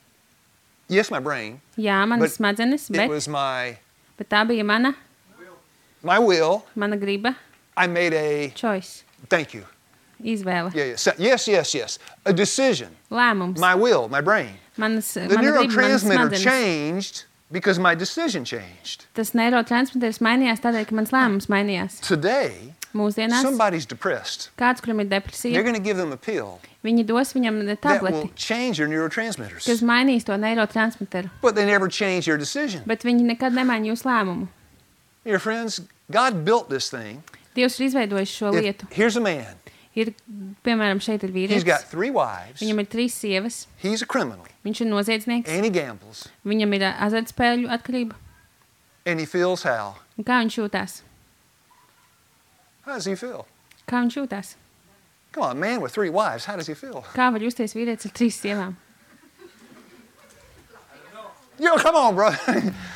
Yes, my brain.
Jā, manas
But
smadzenes,
It was
bet tā bija
my will.
mana griba,
I made a,
choice,
thank you.
izvēle,
Yeah, yeah. Yes. A decision.
lēmums.
My will, my brain.
The
The neurotransmitter changed because my decision changed.
Tas neirotransmiters mainījās tādēļ, ka mans lēmums mainījās.
Today,
Mūsdienās
somebody's depressed.
kāds, kuram ir
They're
depresija,
going to give them a pill
viņi dos viņam
that
tableti,
will change their
kas
neurotransmitters.
mainīs to neirotransmiteru.
But they never change their decision.
Bet viņi nekad nemaina jūsu lēmumu.
Dear friends, God built this thing.
Dievs ir izveidojis šo lietu.
Here's a man.
Ir, piemēram, šeit ir
He's got
vīrietis,
3 wives.
viņam ir 3 sievas,
He's a criminal.
viņš ir noziedznieks,
And he gambles.
viņam ir azartspēļu atkarība.
And he feels how?
Un kā viņš jūtās?
How does he feel?
Kā viņš jūtās?
Come on, a man with 3 wives, how does he feel?
Kā var justies vīrietis ar 3 sievām?
Yo, come on, bro.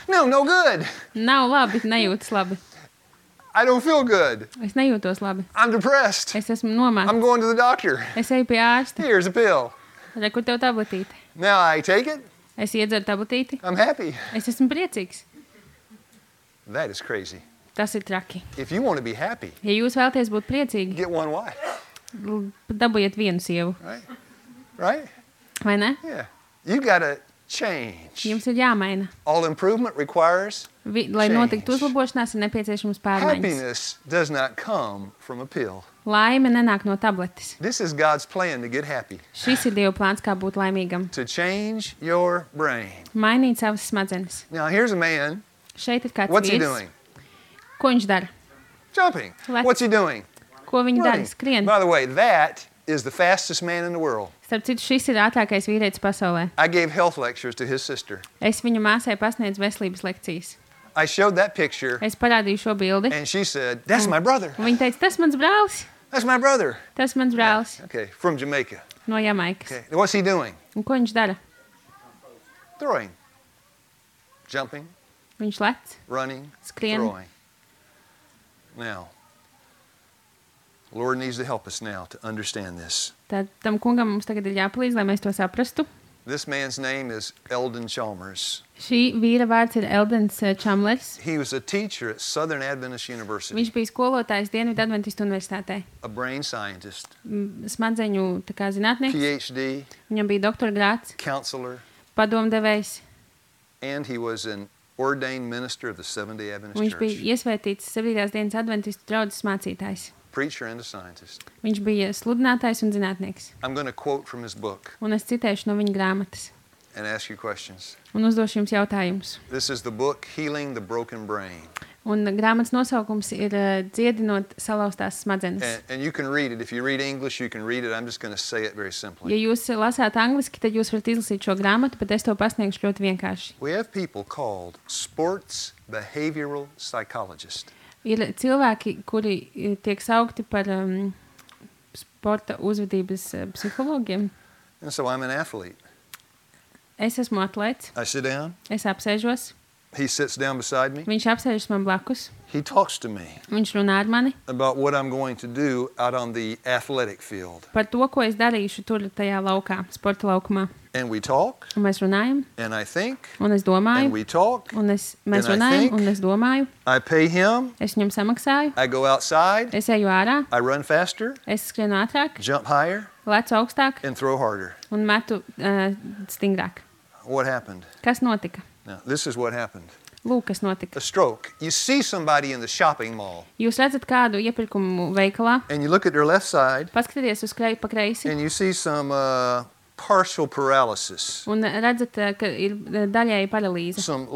No good.
Nav labi, nejūtas labi.
I don't feel good.
Es nejūtos labi.
I'm depressed.
Es esmu nomākta.
I'm going to the doctor.
Es eju pie ārsta.
Here's a pill.
Re, kur tev tabletīte?
Now I take it.
Es iedzeru tabletīti.
I'm happy.
Es esmu priecīgs.
That is crazy.
Tas ir traki.
If you want to be happy,
Ja jūs vēlaties būt priecīgi,
get 1 wife.
dabūjiet vienu sievu.
Right?
Vai ne?
Yeah. You got to change.
Jums ir jāmaina.
All improvement requires
Lai
Change.
notiktu uzlabošanās, ir nepieciešams pārmaiņas.
happiness does not come from a pill.
Laime nenāk no tabletes.
This is God's plan to get happy,
Šis ir Dieva plāns, kā būt laimīgam.
to change your brain.
Mainīt savas smadzenes.
Now, here's a man.
Šeit ir kāds
What's he
vīrs.
doing?
Ko viņš dara?
Jumping.
Left.
What's he doing?
Ko viņi dara?
Running.
Skrien.
By the way, that is the fastest man in the world.
Starp citu, šis ir ātrākais vīrietis pasaulē.
I gave health lectures to his sister.
Es viņu māsai pasniedzu veselības lekcijas.
I showed that picture,
Es parādīju šo bildi.
and she said, "That's my brother.
Un viņa teica, tas mans brālis.
That's my brother."
Tas mans brālis
Okay, from Jamaica.
no Jamaikas.
Okay, what's he doing?
Un ko viņš dara?
Throwing, jumping,
Viņš lec,
running,
skrien.
throwing. Now, the Lord needs to help us now to understand this.
Tad tam kungam mums tagad ir jāpalīdz, lai mēs to saprastu.
This man's name is Eldon Chalmers.
Šī vīra vārds ir Eldens Čamlers.
He was a teacher at Southern Adventist University,
Viņš bija skolotājs Dienvidu Adventistu universitātē.
a brain scientist,
Smadzeņu tā kā zinātnieks.
PhD,
Viņam bija doktora grāds,
counselor,
padomdevējs.
and he was an ordained minister of the Seventh-day Adventist
Viņš bija
Church,
iesvētīts 7. dienas adventistu draudzes mācītājs.
preacher and a scientist.
Viņš bija sludinātājs un zinātnieks.
I'm going to quote from his book
Un es citēšu no viņa grāmatas.
and ask you questions.
Un uzdošu jums jautājumus.
This is the book, Healing the Broken Brain.
Un grāmatas nosaukums ir Dziedinot salauztās smadzenes.
And you can read it. If you read English, you can read it. I'm just going to say it very
Ja
simply.
jūs lasāt angliski, tad jūs varat izlasīt šo grāmatu, bet es to pasniegšu ļoti vienkārši.
We have people called sports behavioral psychologists.
Ir cilvēki, kuri tiek saukti par sporta uzvedības psihologiem.
And so I'm an athlete.
Es esmu atlēts,
I sit down.
es apsēžos,
He sits down beside me.
viņš apsēžas man blakus,
He talks to me
viņš runā ar mani
about what I'm going to do out on the athletic field.
par to, ko es darīšu tur tajā laukā, sporta laukumā.
And we talk,
Un mēs runājam,
and I think,
un es domāju,
and we talk.
un mēs
and I
runājam,
think.
un es domāju,
I pay him.
es viņam samaksāju,
I go outside.
es eju ārā,
I run faster,
es skrienu ātrāk,
jump higher,
lecu augstāk
and throw harder.
un metu stingrāk.
What happened?
Kas notika?
Now, this is what happened.
Lūk, kas notika.
A stroke. You see somebody in the shopping mall,
Jūs redzat kādu iepirkumu veikalā,
and you look at their left side,
paskatieties uz pa kreisi
and you see some partial paralysis,
un redzat, ka ir daļēji paralīze,
some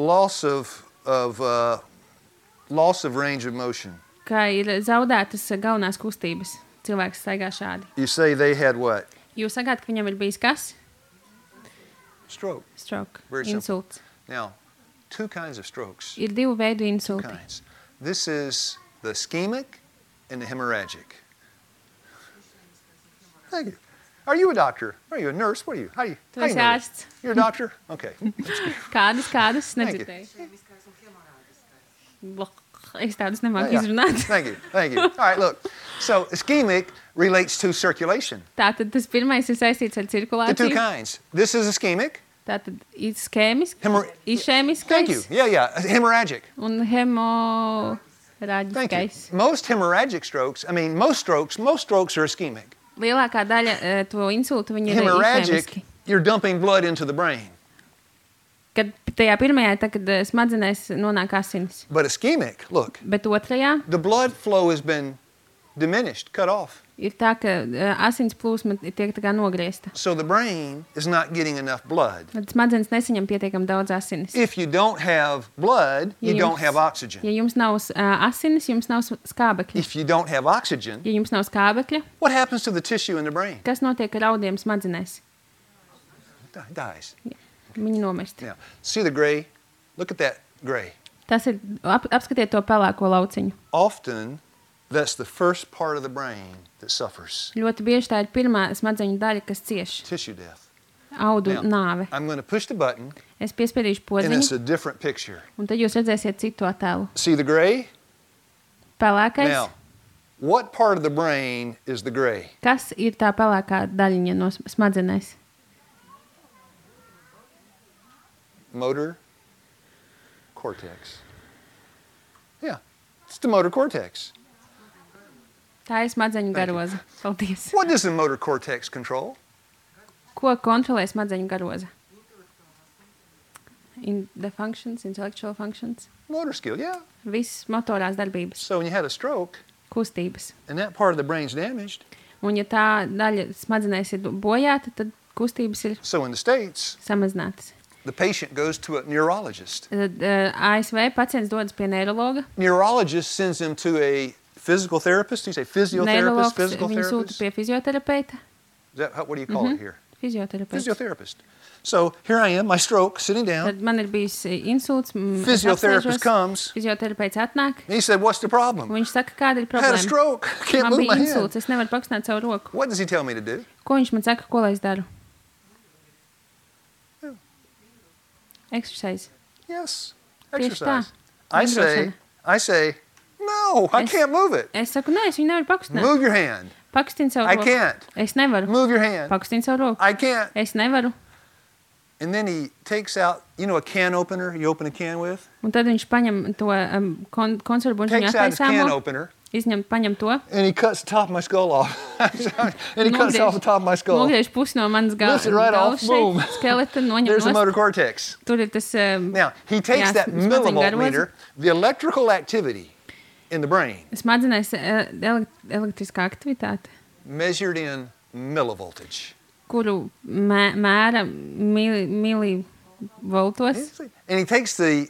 loss of range of motion.
ka ir zaudētas galvenās kustības. Cilvēks staigā šādi.
You say they had what?
Jūs sakāt, ka viņam ir bijis kas?
Stroke.
Stroke,
Very simple.
insults.
Now, 2 kinds of strokes.
Ir 2 veidu
2
insulti.
kinds. This is the ischemic and the hemorrhagic. Thank you. Are you a doctor? Are you a nurse? What are you? How do you
Tu
know
esi
that?
ārsts.
You're a doctor? Okay.
Kādas,
Thank you.
nedzirdēju. Es tādus nemāku
Yeah.
izrunāt.
Thank you. Thank you. All right, look. So ischemic relates to circulation.
Tātad tas pirmais ir saistīts ar
The two
cirkulāciju.
kinds. This is ischemic.
Tātad ischēmisks,
Thank you.
išēmiskais
Yeah. Hemorrhagic.
un
Thank you.
hemorāģiskais.
Most hemorrhagic strokes, most strokes are ischemic.
Lielākā daļa to insultu viņi ir
Hemorrhagic,
išēmiski.
you're dumping blood into the brain.
Kad tajā pirmajā, tā, kad smadzenēs nonāk asinis.
But ischemic, look,
Bet otrajā
the blood flow has been diminished, cut off.
ir tā, ka asins plūsma tiek tā kā nogriezta.
So the brain is not getting enough blood.
Tad smadzenes nesaņem pietiekami daudz asinis.
If you don't have blood, you
Ja
don't
jums-
have oxygen.
Ja jums nav asinis, jums nav skābekļa.
If you don't have oxygen,
Ja jums nav skābekļa,
what happens to the tissue in the brain?
kas notiek ar audiem smadzenēs?
It dies.
Viņi nomirst.
Now, see the gray? Look at that gray.
Tas ir, apskatiet to pelēko lauciņu.
Often, that's the first part of the brain that suffers.
Ļoti bieži tā ir pirmā smadzeņu daļa, kas cieš
Tissue death.
audu
Now,
nāve.
I'm going to push the button,
Es piespiedīšu
and it's
podziņu,
a different picture.
un tad jūs redzēsiet citu attēlu.
See the gray?
Pelēkais.
Now, what part of the brain is the gray?
Kas ir tā pelēkā daļiņa no smadzenēs?
Motor cortex. Yeah, it's the motor cortex.
Tā ir smadzeņu
Thank you.
garoza. Paldies.
What does the motor cortex control?
Ko kontrolē smadzeņu garoza? The functions, intellectual functions.
Motor skill, yeah.
Viss motorās darbības,
So when you had a stroke
kustības.
and that part of the brain's damaged,
Un ja tā daļa smadzenēs ir bojāta, tad kustības ir
so in the States,
samazinātas.
the patient goes to a neurologist.
Tad ASV pacients dodas pie neirologa.
Neurologist sends him to a physical therapist. You say physiotherapist,
Neirologs
physical
viņu sūta
therapist?
pie fizioterapeita.
Is that what do you call it here?
Fizioterapeits.
Physiotherapist. So here I am, my stroke, sitting down.
Tad man ir bijis insults.
Physiotherapist comes.
Fizioterapeits atnāk.
And he said, "What's the problem?"
Un viņš saka, kāda ir
I had a
problēma.
stroke. Can't
Man
move
bija
my hand.
insults, es nevaru pakustināt savu roku.
What does he tell me to do?
Ko viņš man saka, ko lai es daru? Exercise.
Yes,
Tieši tā.
exercise. I say, no, I
Es-
can't move it.
Es saku, nē, es viņu nevaru pakustināt.
Move your hand.
Pakustin savu
I
roku.
can't.
Es nevaru.
Move your hand.
Pakustin savu roku.
I can't.
Es nevaru.
And then he takes out, a can opener you open a can with?
Un tad viņš paņem to konservu buļbuļsāņu
Takes out his can
attaisāmo,
opener
paņem to,
and he cuts the top of my skull off. And he cuts off the top of my skull.
nogriež pusi no manas
Lifts it right off,
galvas
boom.
šeit, skeleta, noņem
There's the motor
nost.
cortex.
Tur ir tas
Now, he takes
jā,
that
smadzeņu
millivolt
garoza.
meter, the electrical activity in the brain,
Smadzenēs elektriskā aktivitāte,
measured in millivoltage.
kuru mēra milivoltos.
And he takes the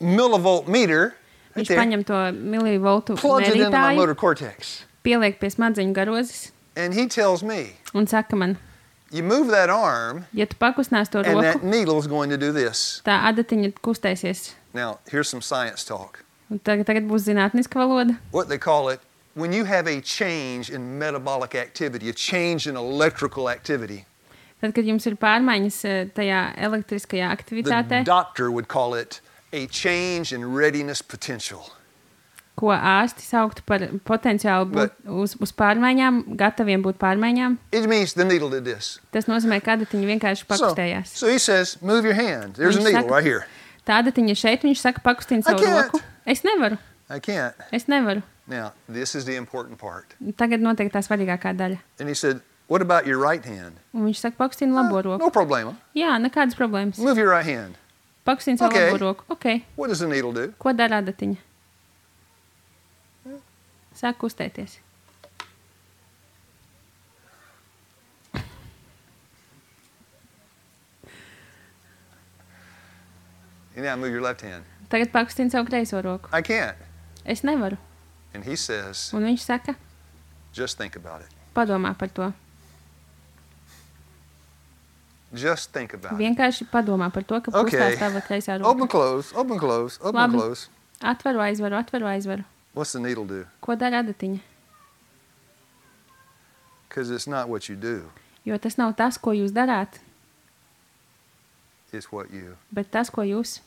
millivolt meter right
Viņš
there,
paņem to milivoltu
plugs it into my
mērītāju,
motor cortex.
pieliek pie smadzeņu garozes
And he tells me,
un saka man,
you move that arm,
ja tu pakustinās to
and that
roku,
needle's going to do this.
tā adatiņa kustēsies.
Now, here's some science talk.
Un tagad būs zinātniska valoda.
What they call it, when you have a change in metabolic activity, a change in electrical activity,
Tad, kad jums ir pārmaiņas tajā elektriskajā
the
aktivitātē,
doctor would call it a change in readiness potential.
ko ārsti sauktu par potenciālu būt uz pārmaiņām, gataviem būt pārmaiņām,
It means the needle did this.
tas nozīmē, ka adatiņa vienkārši pakustējās.
So he says, move your hand. There's a
Viņš
needle
saka-
right here.
Tā adatiņa šeit, viņš saka, pakustina savu
can't.
roku. Es nevaru.
I can't.
Es nevaru.
Now, this is the important part.
Tagad notiek tā svarīgākā daļa.
And he said, what about your right hand?
Un viņš saka, pakustina labo roku.
No problema.
Jā, nekādas problēmas.
Move your right hand.
Pakustina savu
Okay.
labo roku. Ok.
What does the needle do?
Ko dara adatiņa? Sāk kustēties.
And now move your left hand.
Tagad pakustina savu kreiso roku.
I can't.
Es nevaru.
And he says,
Un viņš saka,
just think about it.
padomā par to.
Just think about it.
Vienkārši padomā par to, ka
Okay.
kustās tava kreisā
Open,
roka.
close, open, close, open,
Labi.
close.
Atveru, aizveru, atveru, aizveru.
What's the needle do?
Ko dara adatiņa?
Because it's not what you do,
Jo tas nav tas, ko jūs darāt,
it's what you
bet tas, ko jūs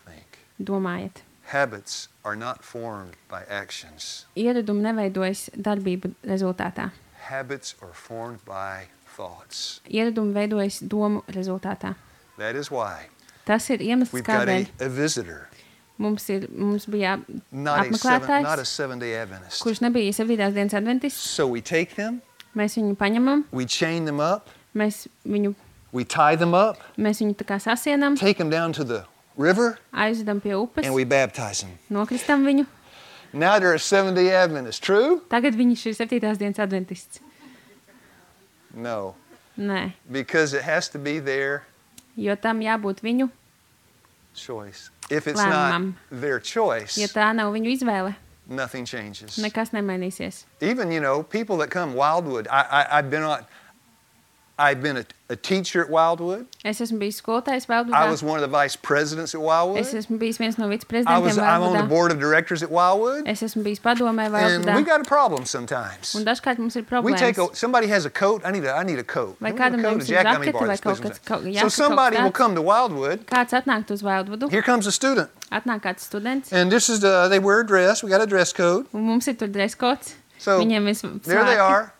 think.
domājat.
Habits are not formed by actions.
Ieradumi neveidojas darbību rezultātā.
Habits are formed by thoughts.
Ieradumi veidojas domu rezultātā.
That is why
Tas ir iemesls,
we've got
kādēļ
a visitor,
mums bija
not a
apmeklētājs,
seven-day Adventist.
kurš nebija 7. dienas adventists.
So we take them,
Mēs viņu paņemam,
we chain them up,
mēs viņu
we tie them up,
tā kā sasienam,
take them down to the river,
aizvedam pie upes,
and we baptize them.
nokristam viņu.
Now they're a seven-day Adventist. True?
Tagad viņš ir 7. dienas adventists.
No,
Nē,
because it has to be their
jo tam jābūt viņu
choice. If it's
lēmumam.
not their choice,
Ja tā nav viņu izvēle,
nothing changes.
nekas nemainīsies.
Even, people that come Wildwood, I've been a teacher at Wildwood.
Es esmu bijis skolotājs
I
Valdvudā.
was one of the vice presidents at Wildwood.
Es esmu bijis viens no
I'm
viceprezidentiem
on the
Valdvudā.
board of directors at Wildwood.
Es esmu bijis padomē
And
Valdvudā.
we got a problem sometimes.
Un dažkārt mums ir
We take
problēmas.
somebody has a coat. I need a coat.
Vai
Give me a
kādam
coat,
jums
a
ir
jacket, let me
žakete
borrow
vai
this,
kaut
please.
kas jaka,
So somebody will
kaut
come to Wildwood.
kāds atnākt uz Valdvudu,
Here comes a student.
atnāk kāds students,
And this is they wear a dress. We got a dress code.
un mums ir tur dreskots.
So
Viņiem ir
there they
svārki.
are.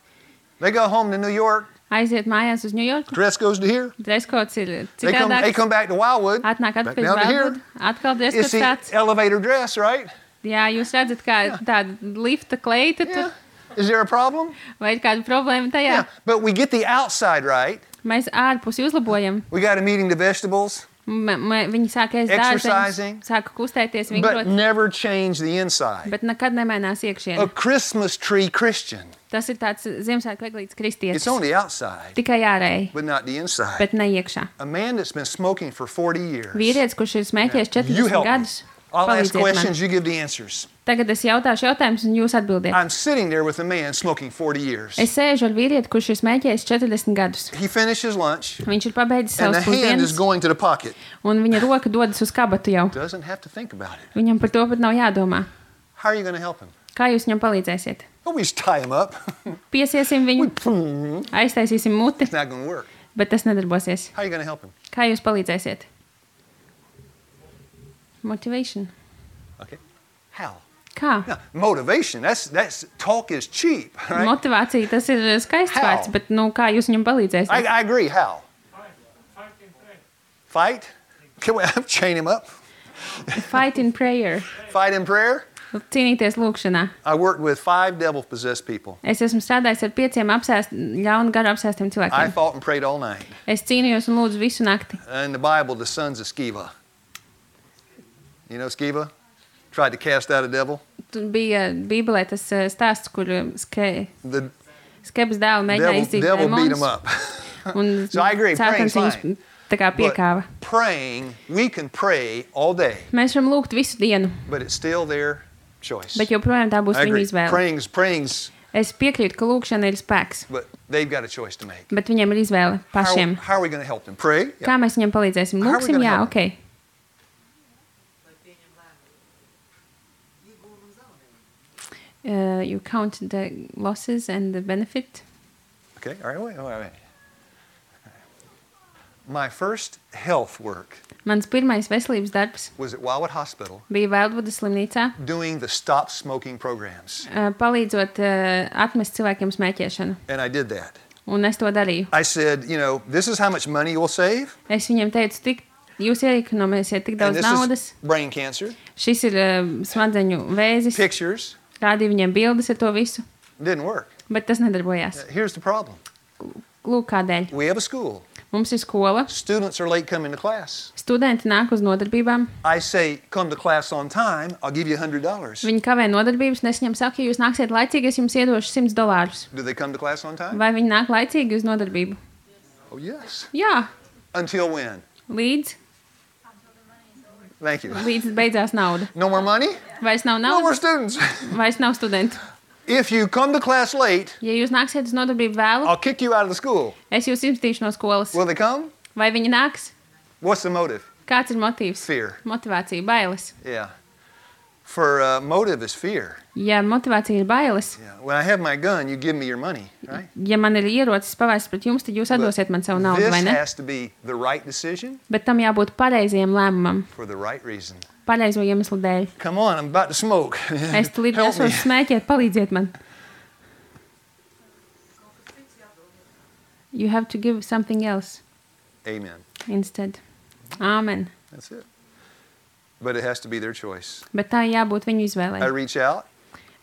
They go home to New York.
Aiziet mājās uz Ņujorku.
Dress goes to here.
Dreskots ir
They
citādāks.
come back to Wildwood.
Atnāk
Back
atpakaļ uz
down to here.
Valdvudu. Atkal
It's
dreskots
the
tāds.
elevator dress, right?
Jā, jūs redzat, kā tāda lifta kleita tur.
Yeah. Is there a problem?
Vai ir kāda problēma tajā?
Yeah. But we get the outside right.
Mēs ārpusi uzlabojam.
We got them eating the vegetables,
Viņi sāk ēst
Exercising.
dārzeņus, sāk kustēties,
but
vingrot,
never change the inside.
bet nekad nemainās
A
iekšienē.
Christmas tree Christian.
Tas ir tāds Ziemassvētku eglītes
It's
kristietis.
on the outside,
Tikai ārēji,
but not the inside.
bet ne iekšā.
A man that's been smoking for 40 years.
Vīrietis, kurš ir smēķējis
You
40
help me.
gadus,
I'll ask
palīdziet man.
questions, you give the answers.
Tagad es jautāšu jautājumus, un jūs atbildiet.
I'm sitting there with a man smoking 40 years.
Es sēžu ar vīrieti, kurš ir smēķējis 40 gadus.
He finishes lunch,
Viņš ir pabeidzis
and the
savus
hand is
pusdienas,
going to the pocket.
un viņa roka dodas uz kabatu jau.
Doesn't have to think about it.
Viņam par to pat nav jādomā.
How are you going to help him?
Kā jūs viņam palīdzēsiet?
Oh, we just tie him up.
Piesiesim viņu, aiztaisīsim muti,
It's not going to work.
bet tas nedarbosies.
How are you going to help him?
Kā jūs palīdzēsiet? Motivation.
Okay. How?
Kā?
Now, motivation, that's talk is cheap, right?
Motivācija, tas ir skaists
How?
vārds, bet kā jūs viņam palīdzēsiet?
I agree. How? Fight? Can we chain him up?
Fight in prayer.
Fight in prayer?
Cīnīties lūkšanā.
I worked with 5 devil-possessed people.
Es esmu strādājis ar 5 ļaunu garu apsēstiem
I
cilvēkiem.
fought and prayed all night.
Es cīnījos un lūdzu visu nakti.
In the Bible, the sons of Sceva. You know Sceva? Tried to cast out a devil.
Tur bija Bībelē tas stāsts, kur
The
Skebas dēlu mēģināja izdzīt
devil beat him
demonus.
up.
Un
So I agree,
Sātans
praying's
viņus
fine.
tā kā piekāva.
But praying, we can pray all day,
Mēs varam lūgt visu dienu,
but it's still their choice.
bet joprojām tā būs
I
viņa
agree.
izvēle.
Praying's,
Es piekrītu, ka lūkšana ir spēks,
but they've got a choice to make.
bet viņiem ir izvēle pašiem.
How are we going to help them? Pray? Yeah.
Kā mēs viņiem palīdzēsim?
How are we
Lūksim,
gonna
jā,
help
ok. You count the losses and the benefit.
Okay, all right, wait. My first health work
Mans pirmais veselības darbs
was at Wildwood Hospital
bija Valdvudas slimnīcā,
doing the stop smoking programs.
palīdzot atmest cilvēkiem smēķēšanu.
And I did that.
Un es to darīju.
I said, this is how much money you'll save.
Es viņiem teicu, jūs iekonomēsiet tik
And
daudz
this
naudas.
is brain cancer.
Šis ir smadzeņu vēzis.
Pictures.
Rādīju viņiem bildes ar to visu,
Didn't work.
bet tas nedarbojās.
Here's the problem.
Lūk, kādēļ.
We have a school.
Mums ir skola,
Students are late coming to class.
studenti nāk uz nodarbībām,
I say, come to class on time, I'll give you $100.
viņi kavē nodarbības, un es viņiem saku, ja jūs nāksiet laicīgi, es jums iedošu $100.
Do they come to class on time?
Vai viņi nāk laicīgi uz nodarbību?
Oh, yes.
Jā,
Until when?
līdz
Thank you.
beidzās nauda.
No more money?
Vairs nav
No more
naudas,
students.
vairs nav studentu.
If you come to class late,
Ja jūs nāksiet uz nodarbību vēlu,
I'll kick you out of the school.
es jūs izmetīšu no skolas.
Will they come?
Vai viņi nāks?
What's the motive?
Kāds ir motīvs?
Fear.
Motivācija, bailes.
Yeah. For motive is fear.
Ja motivācija ir bailes,
Yeah. When I have my gun, you give me your money, right?
ja man ir ierocis pavērsts pret jums, tad jūs atdosiet man savu naudu,
This
vai ne?
has to be the right decision
Bet tam jābūt pareizajam lēmumam,
for the right reason.
pareizo iemeslu dēļ.
Come on, I'm about to smoke.
Es tulīt
Help me.
nesošu smēķēt, palīdziet man. You have to give something else
Amen.
instead. Āmen.
That's it. But it has to be their choice.
Bet tā jābūt viņu
I
izvēlei.
reach out.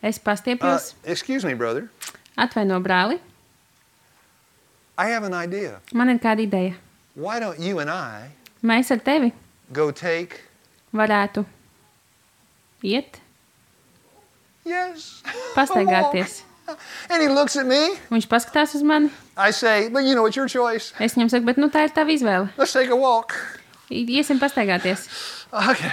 Es pastiepjos,
Excuse me, brother.
atvaino brāli,
I have an idea.
man ir kāda ideja.
Why don't you and I
Mēs ar tevi
go take...
varētu iet,
Yes.
pastaigāties.
And he looks at me.
Viņš paskatās uz mani.
I say, but you know, it's your choice.
Es viņam saku, bet nu tā ir tava izvēle.
Let's take a walk.
Iesim pastaigāties.
Okay.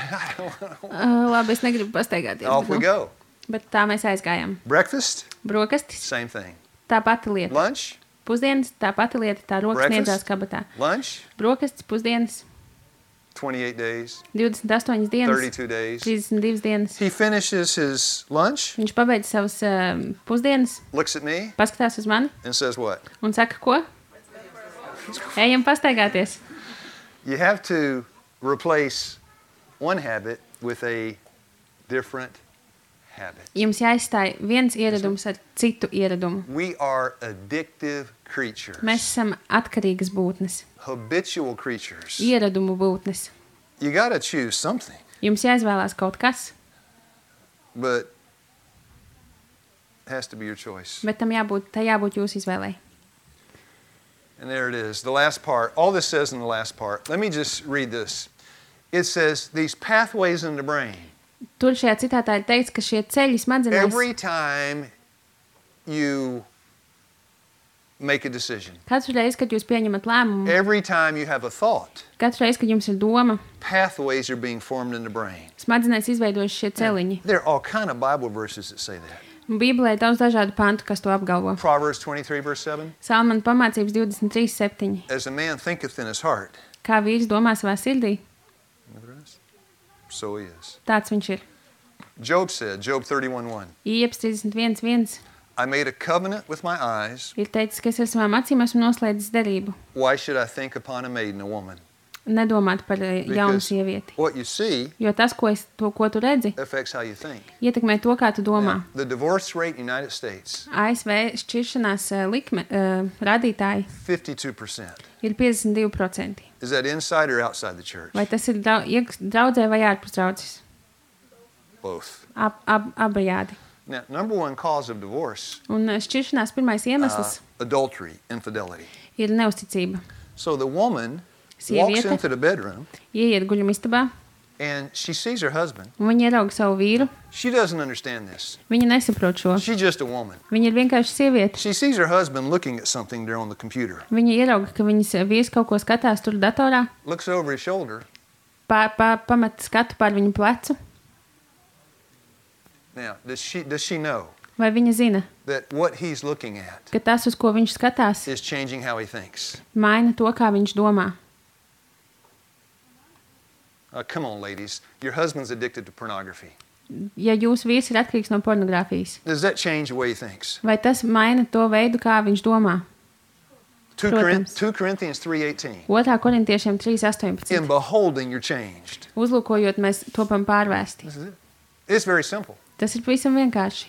Labi, es negribu pastaigāties.
Off we
Bet,
go.
bet tā mēs aizgājām.
Breakfast,
Brokastis,
same thing.
tā pati lieta.
Lunch,
Pusdienas, tā pati lieta, tā rokas
Breakfast.
sniedzās kabatā.
lunch,
Brokastis, pusdienas,
28 days,
28 dienas,
32 days.
32 dienas.
He finishes his lunch,
Viņš pabeidz savas pusdienas,
looks at me,
paskatās uz mani
and says what?
un saka, ko? Ejam pastaigāties.
You have to replace one habit with a different habit.
Jums jāizstāj viens ieradums ar citu ieradumu.
We are addictive creatures,
Mēs esam atkarīgas būtnes,
habitual creatures.
ieradumu būtnes.
You got to choose something,
Jums jāizvēlās kaut kas,
but it has to be your choice.
bet tam jābūt jūsu izvēlei.
And there it is, the last part. All this says in the last part. Let me just read this. It says, these pathways in the brain,
Tur šajā citātā ir teikts, ka šie ceļi smadzenēs
every time you make a decision,
katru reizi, kad jūs pieņemat lēmumu,
every time you have a thought,
katru reizi, kad jums ir doma,
pathways are being formed in the brain.
smadzenēs izveidojas šie celiņi.
There are all kind of Bible verses that say that.
Bībelē ir daudz dažādu pantu, kas to apgalvo.
Proverbs 23, verse 7.
Salmana pamācības 23:7.
As a man thinketh in his heart,
Kā vīrs domā savā sirdī,
so he is.
tāds viņš ir.
Job said, Job 31:1,
Ieps 31:1
I made a covenant with my eyes.
ir teicis, ka es ar savām acīm esmu noslēdzis derību.
Why should I think upon a maiden, a woman?
Nedomāt par jaunu
Because
sievieti.
what you see
Jo tas, ko tu redzi,
affects how you think.
ietekmē to, kā tu domā.
Now, the divorce rate in the United States,
ASV šķiršanās likme, rādītāji
52%.
ir 52%.
Is that inside or outside the church?
Vai tas ir draudzē vai ārpus draudzes?
Both.
Abajādi.
Now, number one cause of divorce,
Un šķiršanās pirmais iemesls
adultery, infidelity.
ir neusticība.
So the woman walks
Sieviete
into the bedroom
ieiet guļamistabā,
and she sees her husband.
un viņa ierauga savu vīru.
She doesn't understand this.
Viņa nesaprot šo.
She's just a woman.
Viņa ir vienkārši sieviete.
She sees her husband looking at something there on the computer.
Viņa ierauga, ka viņas vīrs kaut ko skatās tur datorā,
Looks over his shoulder.
pamet skatu pār viņu plecu.
Now, does she know
Vai viņa zina,
that what he's looking at
ka tas, uz ko viņš skatās,
is changing how he thinks?
maina to, kā viņš domā?
Come on, ladies. Your husband's addicted to pornography.
Ja jūsu vīrs ir atkarīgs no pornogrāfijas,
Does that change the way he thinks?
vai tas maina to veidu, kā viņš domā?
2
Protams.
Corinthians 3:18.
2. korintiešiem 3:18.
In beholding, you're changed.
Uzlūkojot, mēs topam pārvērsti.
This is it. It's very simple.
Tas ir pavisam vienkārši.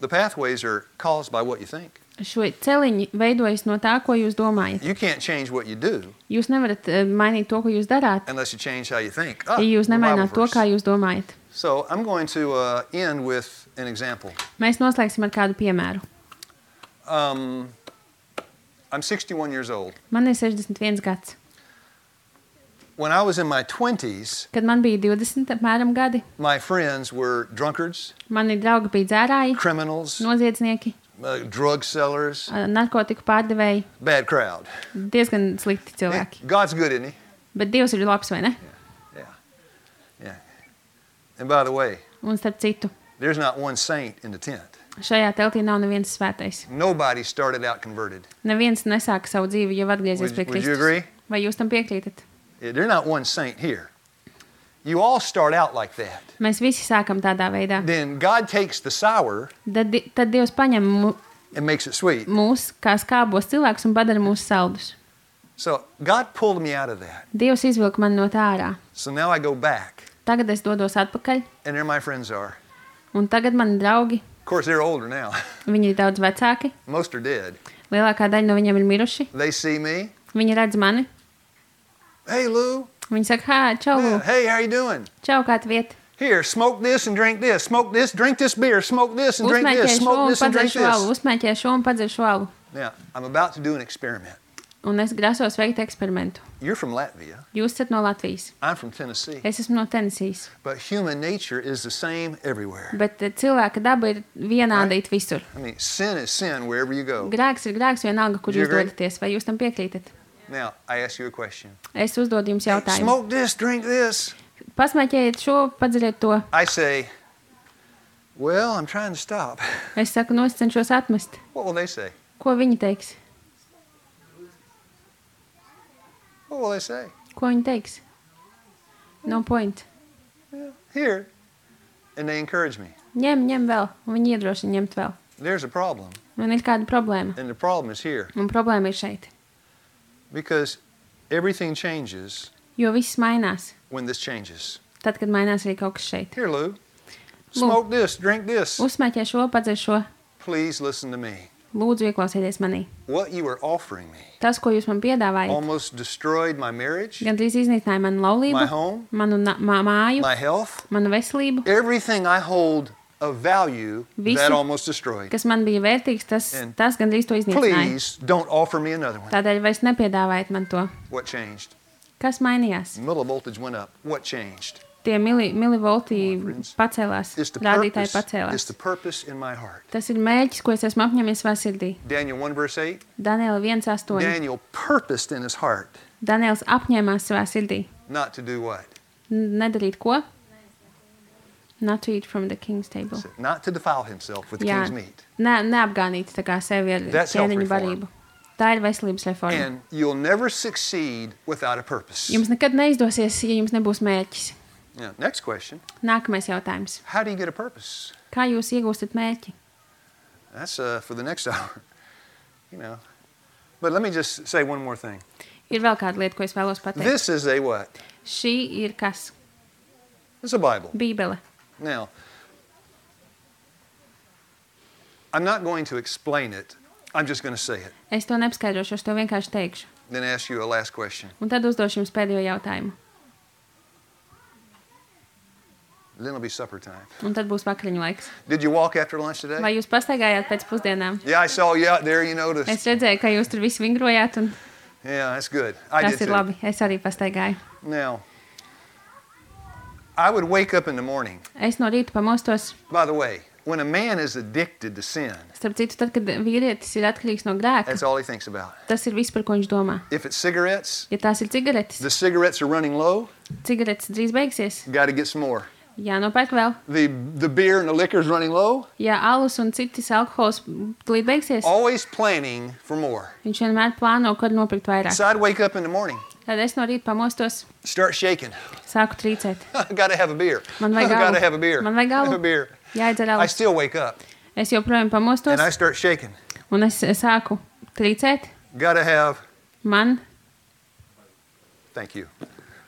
The pathways are caused by what you think.
Šo celiņi veidojas no tā, ko jūs domājat.
You can't change what you do
Jūs nevarat mainīt to, ko jūs darāt,
unless you change how you think.
ja jūs
the Bible
nemaināt to,
verse.
kā jūs domājat.
So I'm going to end with an example.
Mēs noslēgsim ar kādu piemēru.
I'm 61 years old.
Man ir 61 gads.
When I was in my 20s,
Kad man bija 20 apmēram gadi,
my friends were drunkards,
mani draugi bija dzērāji,
criminals,
noziedznieki,
drug sellers,
narkotiku pārdevēji,
bad crowd.
diezgan slikti cilvēki.
God's good, isn't he?
Bet Dievs ir labs, vai ne?
Yeah. And by the way,
Un starp citu,
there's not one saint in the tent.
šajā teltī nav neviens svētais.
Nobody started out converted.
Neviens nesāka savu dzīvi jau atgriezies pie
Would you
Kristus.
agree?
Vai jūs tam piekrītat?
They're not one saint here. You all start out like that.
Mēs visi sākam tādā veidā.
Then God takes the sour
Tad Dievs paņem
and makes it sweet.
mūs kā skābos cilvēkus un padara mūs saldus.
So God pulled me out of that.
Dievs izvilka mani no tā ārā.
So now I go back,
Tagad es dodos atpakaļ,
and there my friends are.
un tagad mani draugi,
Of course, they're older now.
viņi ir daudz vecāki,
Most are dead.
lielākā daļa no viņiem ir miruši.
They see me.
Viņi redz mani,
Hey, Lou.
viņi saka, hā, čau,
Yeah, hey, how you doing?
čau, kā tu viet?
Here, smoke this and drink this. Smoke this, drink this beer. Smoke this and drink
Uzmēķē
this.
šo
Smoke
un
this and
padzer
drink
šo alu,
this.
uzmēķē šo un padzer šo alu.
Now, I'm about to do an experiment.
Un es grasos veikt eksperimentu.
You're from Latvia.
Jūs esat no Latvijas,
I'm from Tennessee.
es esmu no Tenesijas,
But human nature is the same everywhere.
bet cilvēka daba ir vienāda it visur.
I mean, sin is sin wherever you go.
Grēks ir grēks vienalga, kur
Do you
jūs
agree?
dodaties, vai jūs tam piekrītat?
Now, I ask you a question.
Es uzdodu jums jautājumu.
Smoke this, drink this.
Pasmēķējiet šo, padzeriet to.
I say, well, I'm trying to stop.
Es saku, no es cenšos atmest.
What will they say?
Ko viņi teiks?
What will they say?
Ko viņi teiks? No point.
Yeah, here. And they encourage me.
Ņem vēl, un viņi iedrošina ņemt vēl.
There's a problem.
Man ir kāda problēma,
And the problem is here.
un problēma ir šeit.
Because everything changes
Jo viss mainās,
when this changes.
tad, kad mainās arī kaut kas šeit.
Here, Lou. Smoke this, drink this.
Uzsmēķē šo, padzer šo.
Please listen to me.
Lūdzu, ieklausieties manī.
What you are offering me
Tas, ko jūs man piedāvājat,
almost destroyed my marriage,
gandrīz iznīcināja manu laulību,
my home,
manu māju,
my health.
manu veselību,
Everything I hold of value,
Visu,
that almost destroyed.
kas man bija vērtīgs,
And
tas gandrīz to iznīcināja.
Please don't offer me another one.
Tādēļ vairs nepiedāvājiet man to.
What changed?
Kas mainījās?
Millivoltage went up. What changed?
Tie milivolti pacēlās,
It's the
rādītāji
purpose, it's
pacēlās.
the purpose in my heart.
Tas ir mērķis, ko es esmu apņēmies savā sirdī.
Daniel 1 verse 8.
Daniela 1.8.
Daniel purposed in his heart
Daniels apņēmās savā sirdī.
not to do what?
Nedarīt ko? Not to eat from the king's table.
Not to defile himself with the
Jā,
king's meat.
neapgānīt tā kā sevi ar
That's
ķēniņu
self-reform.
barību. Tā ir veselības reforma.
And you'll never succeed without a purpose.
Jums nekad neizdosies, ja jums nebūs mērķis.
Now, next question.
Nākamais jautājums.
How do you get a purpose?
Kā jūs iegūstat mērķi?
That's for the next hour. You know. But let me just say one more thing.
Ir vēl kāda lieta, ko es vēlos pateikt.
This is a what?
Šī ir kas?
It's a Bible.
Bībele.
Now, I'm not going to explain it. I'm just going to say it.
Es to nepaskaidrošu, es to vienkārši teikšu.
Then ask you a last question.
Un tad uzdošu jums pēdējo jautājumu.
Then it'll be supper time.
Un tad būs vakariņu laiks.
Did you walk after lunch today?
Vai jūs pastaigājāt pēc pusdienām?
Yeah, I saw you out there. You noticed.
Es redzēju, ka jūs tur visi vingrojāt, un
Yeah, that's good. I
tas
did
ir
too.
labi. Es arī pastaigāju.
Now, I would wake up in the morning.
Es no rīta pamostos.
By the way, when a man is addicted to sin,
Starp citu, tad, kad vīrietis ir atkarīgs no grēka,
that's all he thinks about.
tas ir viss, par ko viņš domā.
If it's cigarettes,
Ja tās ir cigaretes,
the cigarettes are running low.
cigaretes drīz beigsies.
Got to get some more.
Jānopērk vēl.
The beer and the liquor is running low.
Ja alus un citas alkohols tūlīt beigsies,
Always planning for more.
viņš vienmēr plāno, kad nopirkt vairāk.
So I'd wake up in the morning,
Tad es no rīta pamostos,
start shaking.
sāku trīcēt.
Got to have a beer.
Man vajag
Got to
alu.
have a beer.
Man vajag alu.
Have a beer.
Jāiedzer
I
alus.
still wake up
Es joprojām pamostos,
and I start shaking.
un es sāku trīcēt.
Got to have.
Man
Thank you.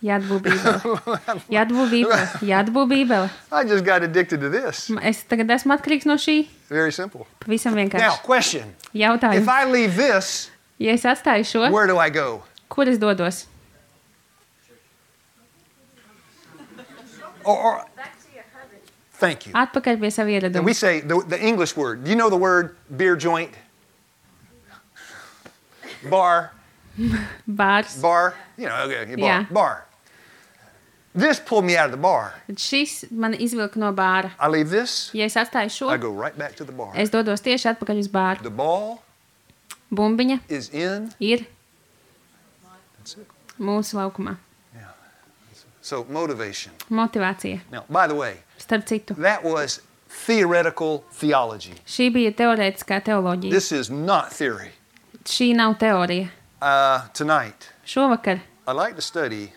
jādabū bībele. Jādabū bībele. Jādabū bībele.
I just got addicted to this.
Es tagad esmu atkarīgs no šī.
Very simple.
Pavisam
Now,
vienkārši.
question. If
Jautājums.
I leave this,
Ja es atstāju šo,
where do I go?
kur es dodos?
Or thank you.
Atpakaļ pie sava
And
ieraduma.
we say the English word. Do you know the word beer joint? Bar.
Bārs.
Bar. You know, okay, bar.
Yeah.
Bar. This pulled me out of the bar.
Tad šis man izvilka no bāra.
I leave this,
Ja es atstāju šo,
I go right back to the bar.
es dodos tieši atpakaļ uz bāru.
The ball
Bumbiņa
is in.
ir
That's it.
mūsu laukumā.
So motivation.
Motivācija.
Now, by the way,
Starp citu,
that was theoretical theology.
šī bija teorētiskā teoloģija.
This is not theory.
Šī nav teorija.
Tonight,
Šovakar
I'd like to study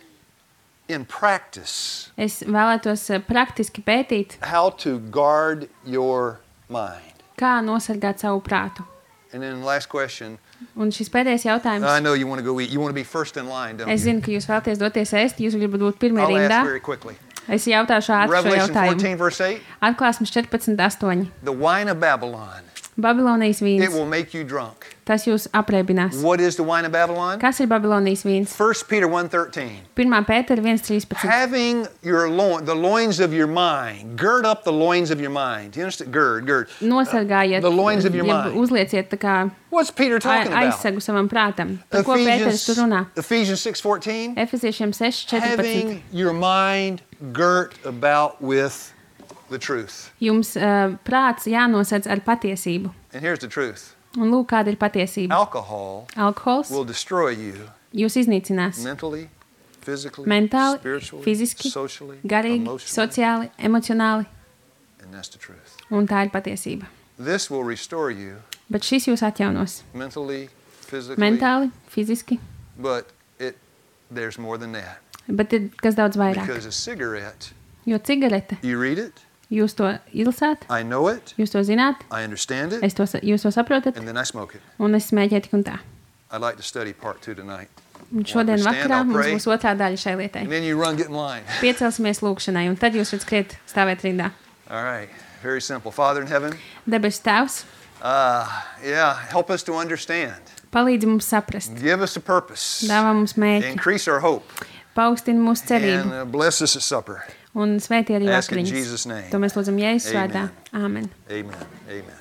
in practice
Es vēlētos praktiski pētīt,
how to guard your mind.
kā nosargāt savu prātu.
And then last question.
Un šis pēdējais jautājums.
I know you want to go eat. You want to be first in line, don't
Es
you?
zinu, ka jūs vēlaties doties ēst, jūs gribat būt pirmie
I'll
rindā.
ask very quickly.
Es jautāšu ātri šo
Revelation
jautājumu.
14, verse 8.
Atklāsmes 14:8.
The wine of Babylon,
Babilonijas
it
vīns.
will make you drunk.
Tas jūs apreibinās.
What is the wine of Babylon?
Kas ir Babilonijas vīns?
1 Peter 1:13.
1. Pētera 1:13.
Having the loins of your mind, gird up the loins of your mind. You understand? Gird.
Nosargājiet,
The loins of your
jeb
mind.
uzlieciet tā kā
What's Peter talking about?
aizsegu savam prātam. Par ko Pēters tur runā?
Ephesians 6:14.
Efeziešiem 6:14.
Having your mind girt about with the truth.
Jums prāts jānosedz ar patiesību.
And here's the truth.
Un lūk, kāda ir patiesība.
Alcohol
Alkohols
will destroy you
jūs iznīcinās
mentally, physically,
mentāli,
spiritually,
fiziski,
socially,
garīgi,
emotionally,
sociāli, emocionāli.
and that's the truth.
Un tā ir patiesība.
This will restore you
Bet šis jūs atjaunos
mentally, physically,
mentāli, fiziski,
but there's more than that.
bet ir kas daudz vairāk.
Because a cigarette,
Jo cigarete,
you read it,
jūs to izlasāt,
I know it,
jūs to zināt,
I understand it,
jūs to saprotat,
and then I smoke it.
un es smēķēju tik un tā.
I'd like to study part 2 tonight.
Un šodien
Stand,
vakarā
I'll
mums
pray.
būs otrā daļa šai lietai.
And then you run, get in line.
Piecelsimies lūkšanai, un tad jūs varat skriet stāvēt rindā.
All right, very simple. Father in heaven,
Debesu Tēvs,
help us to understand.
palīdzi mums saprast,
Give us a purpose.
dāvā mums mērķi,
Increase our hope.
paaugstina mūsu cerību
And bless us at supper.
un svētī arī
Ask in
vakariņas.
Jesus' name.
To mēs lūdzam Jēzus vārdā. Āmen.
Amen. Amen.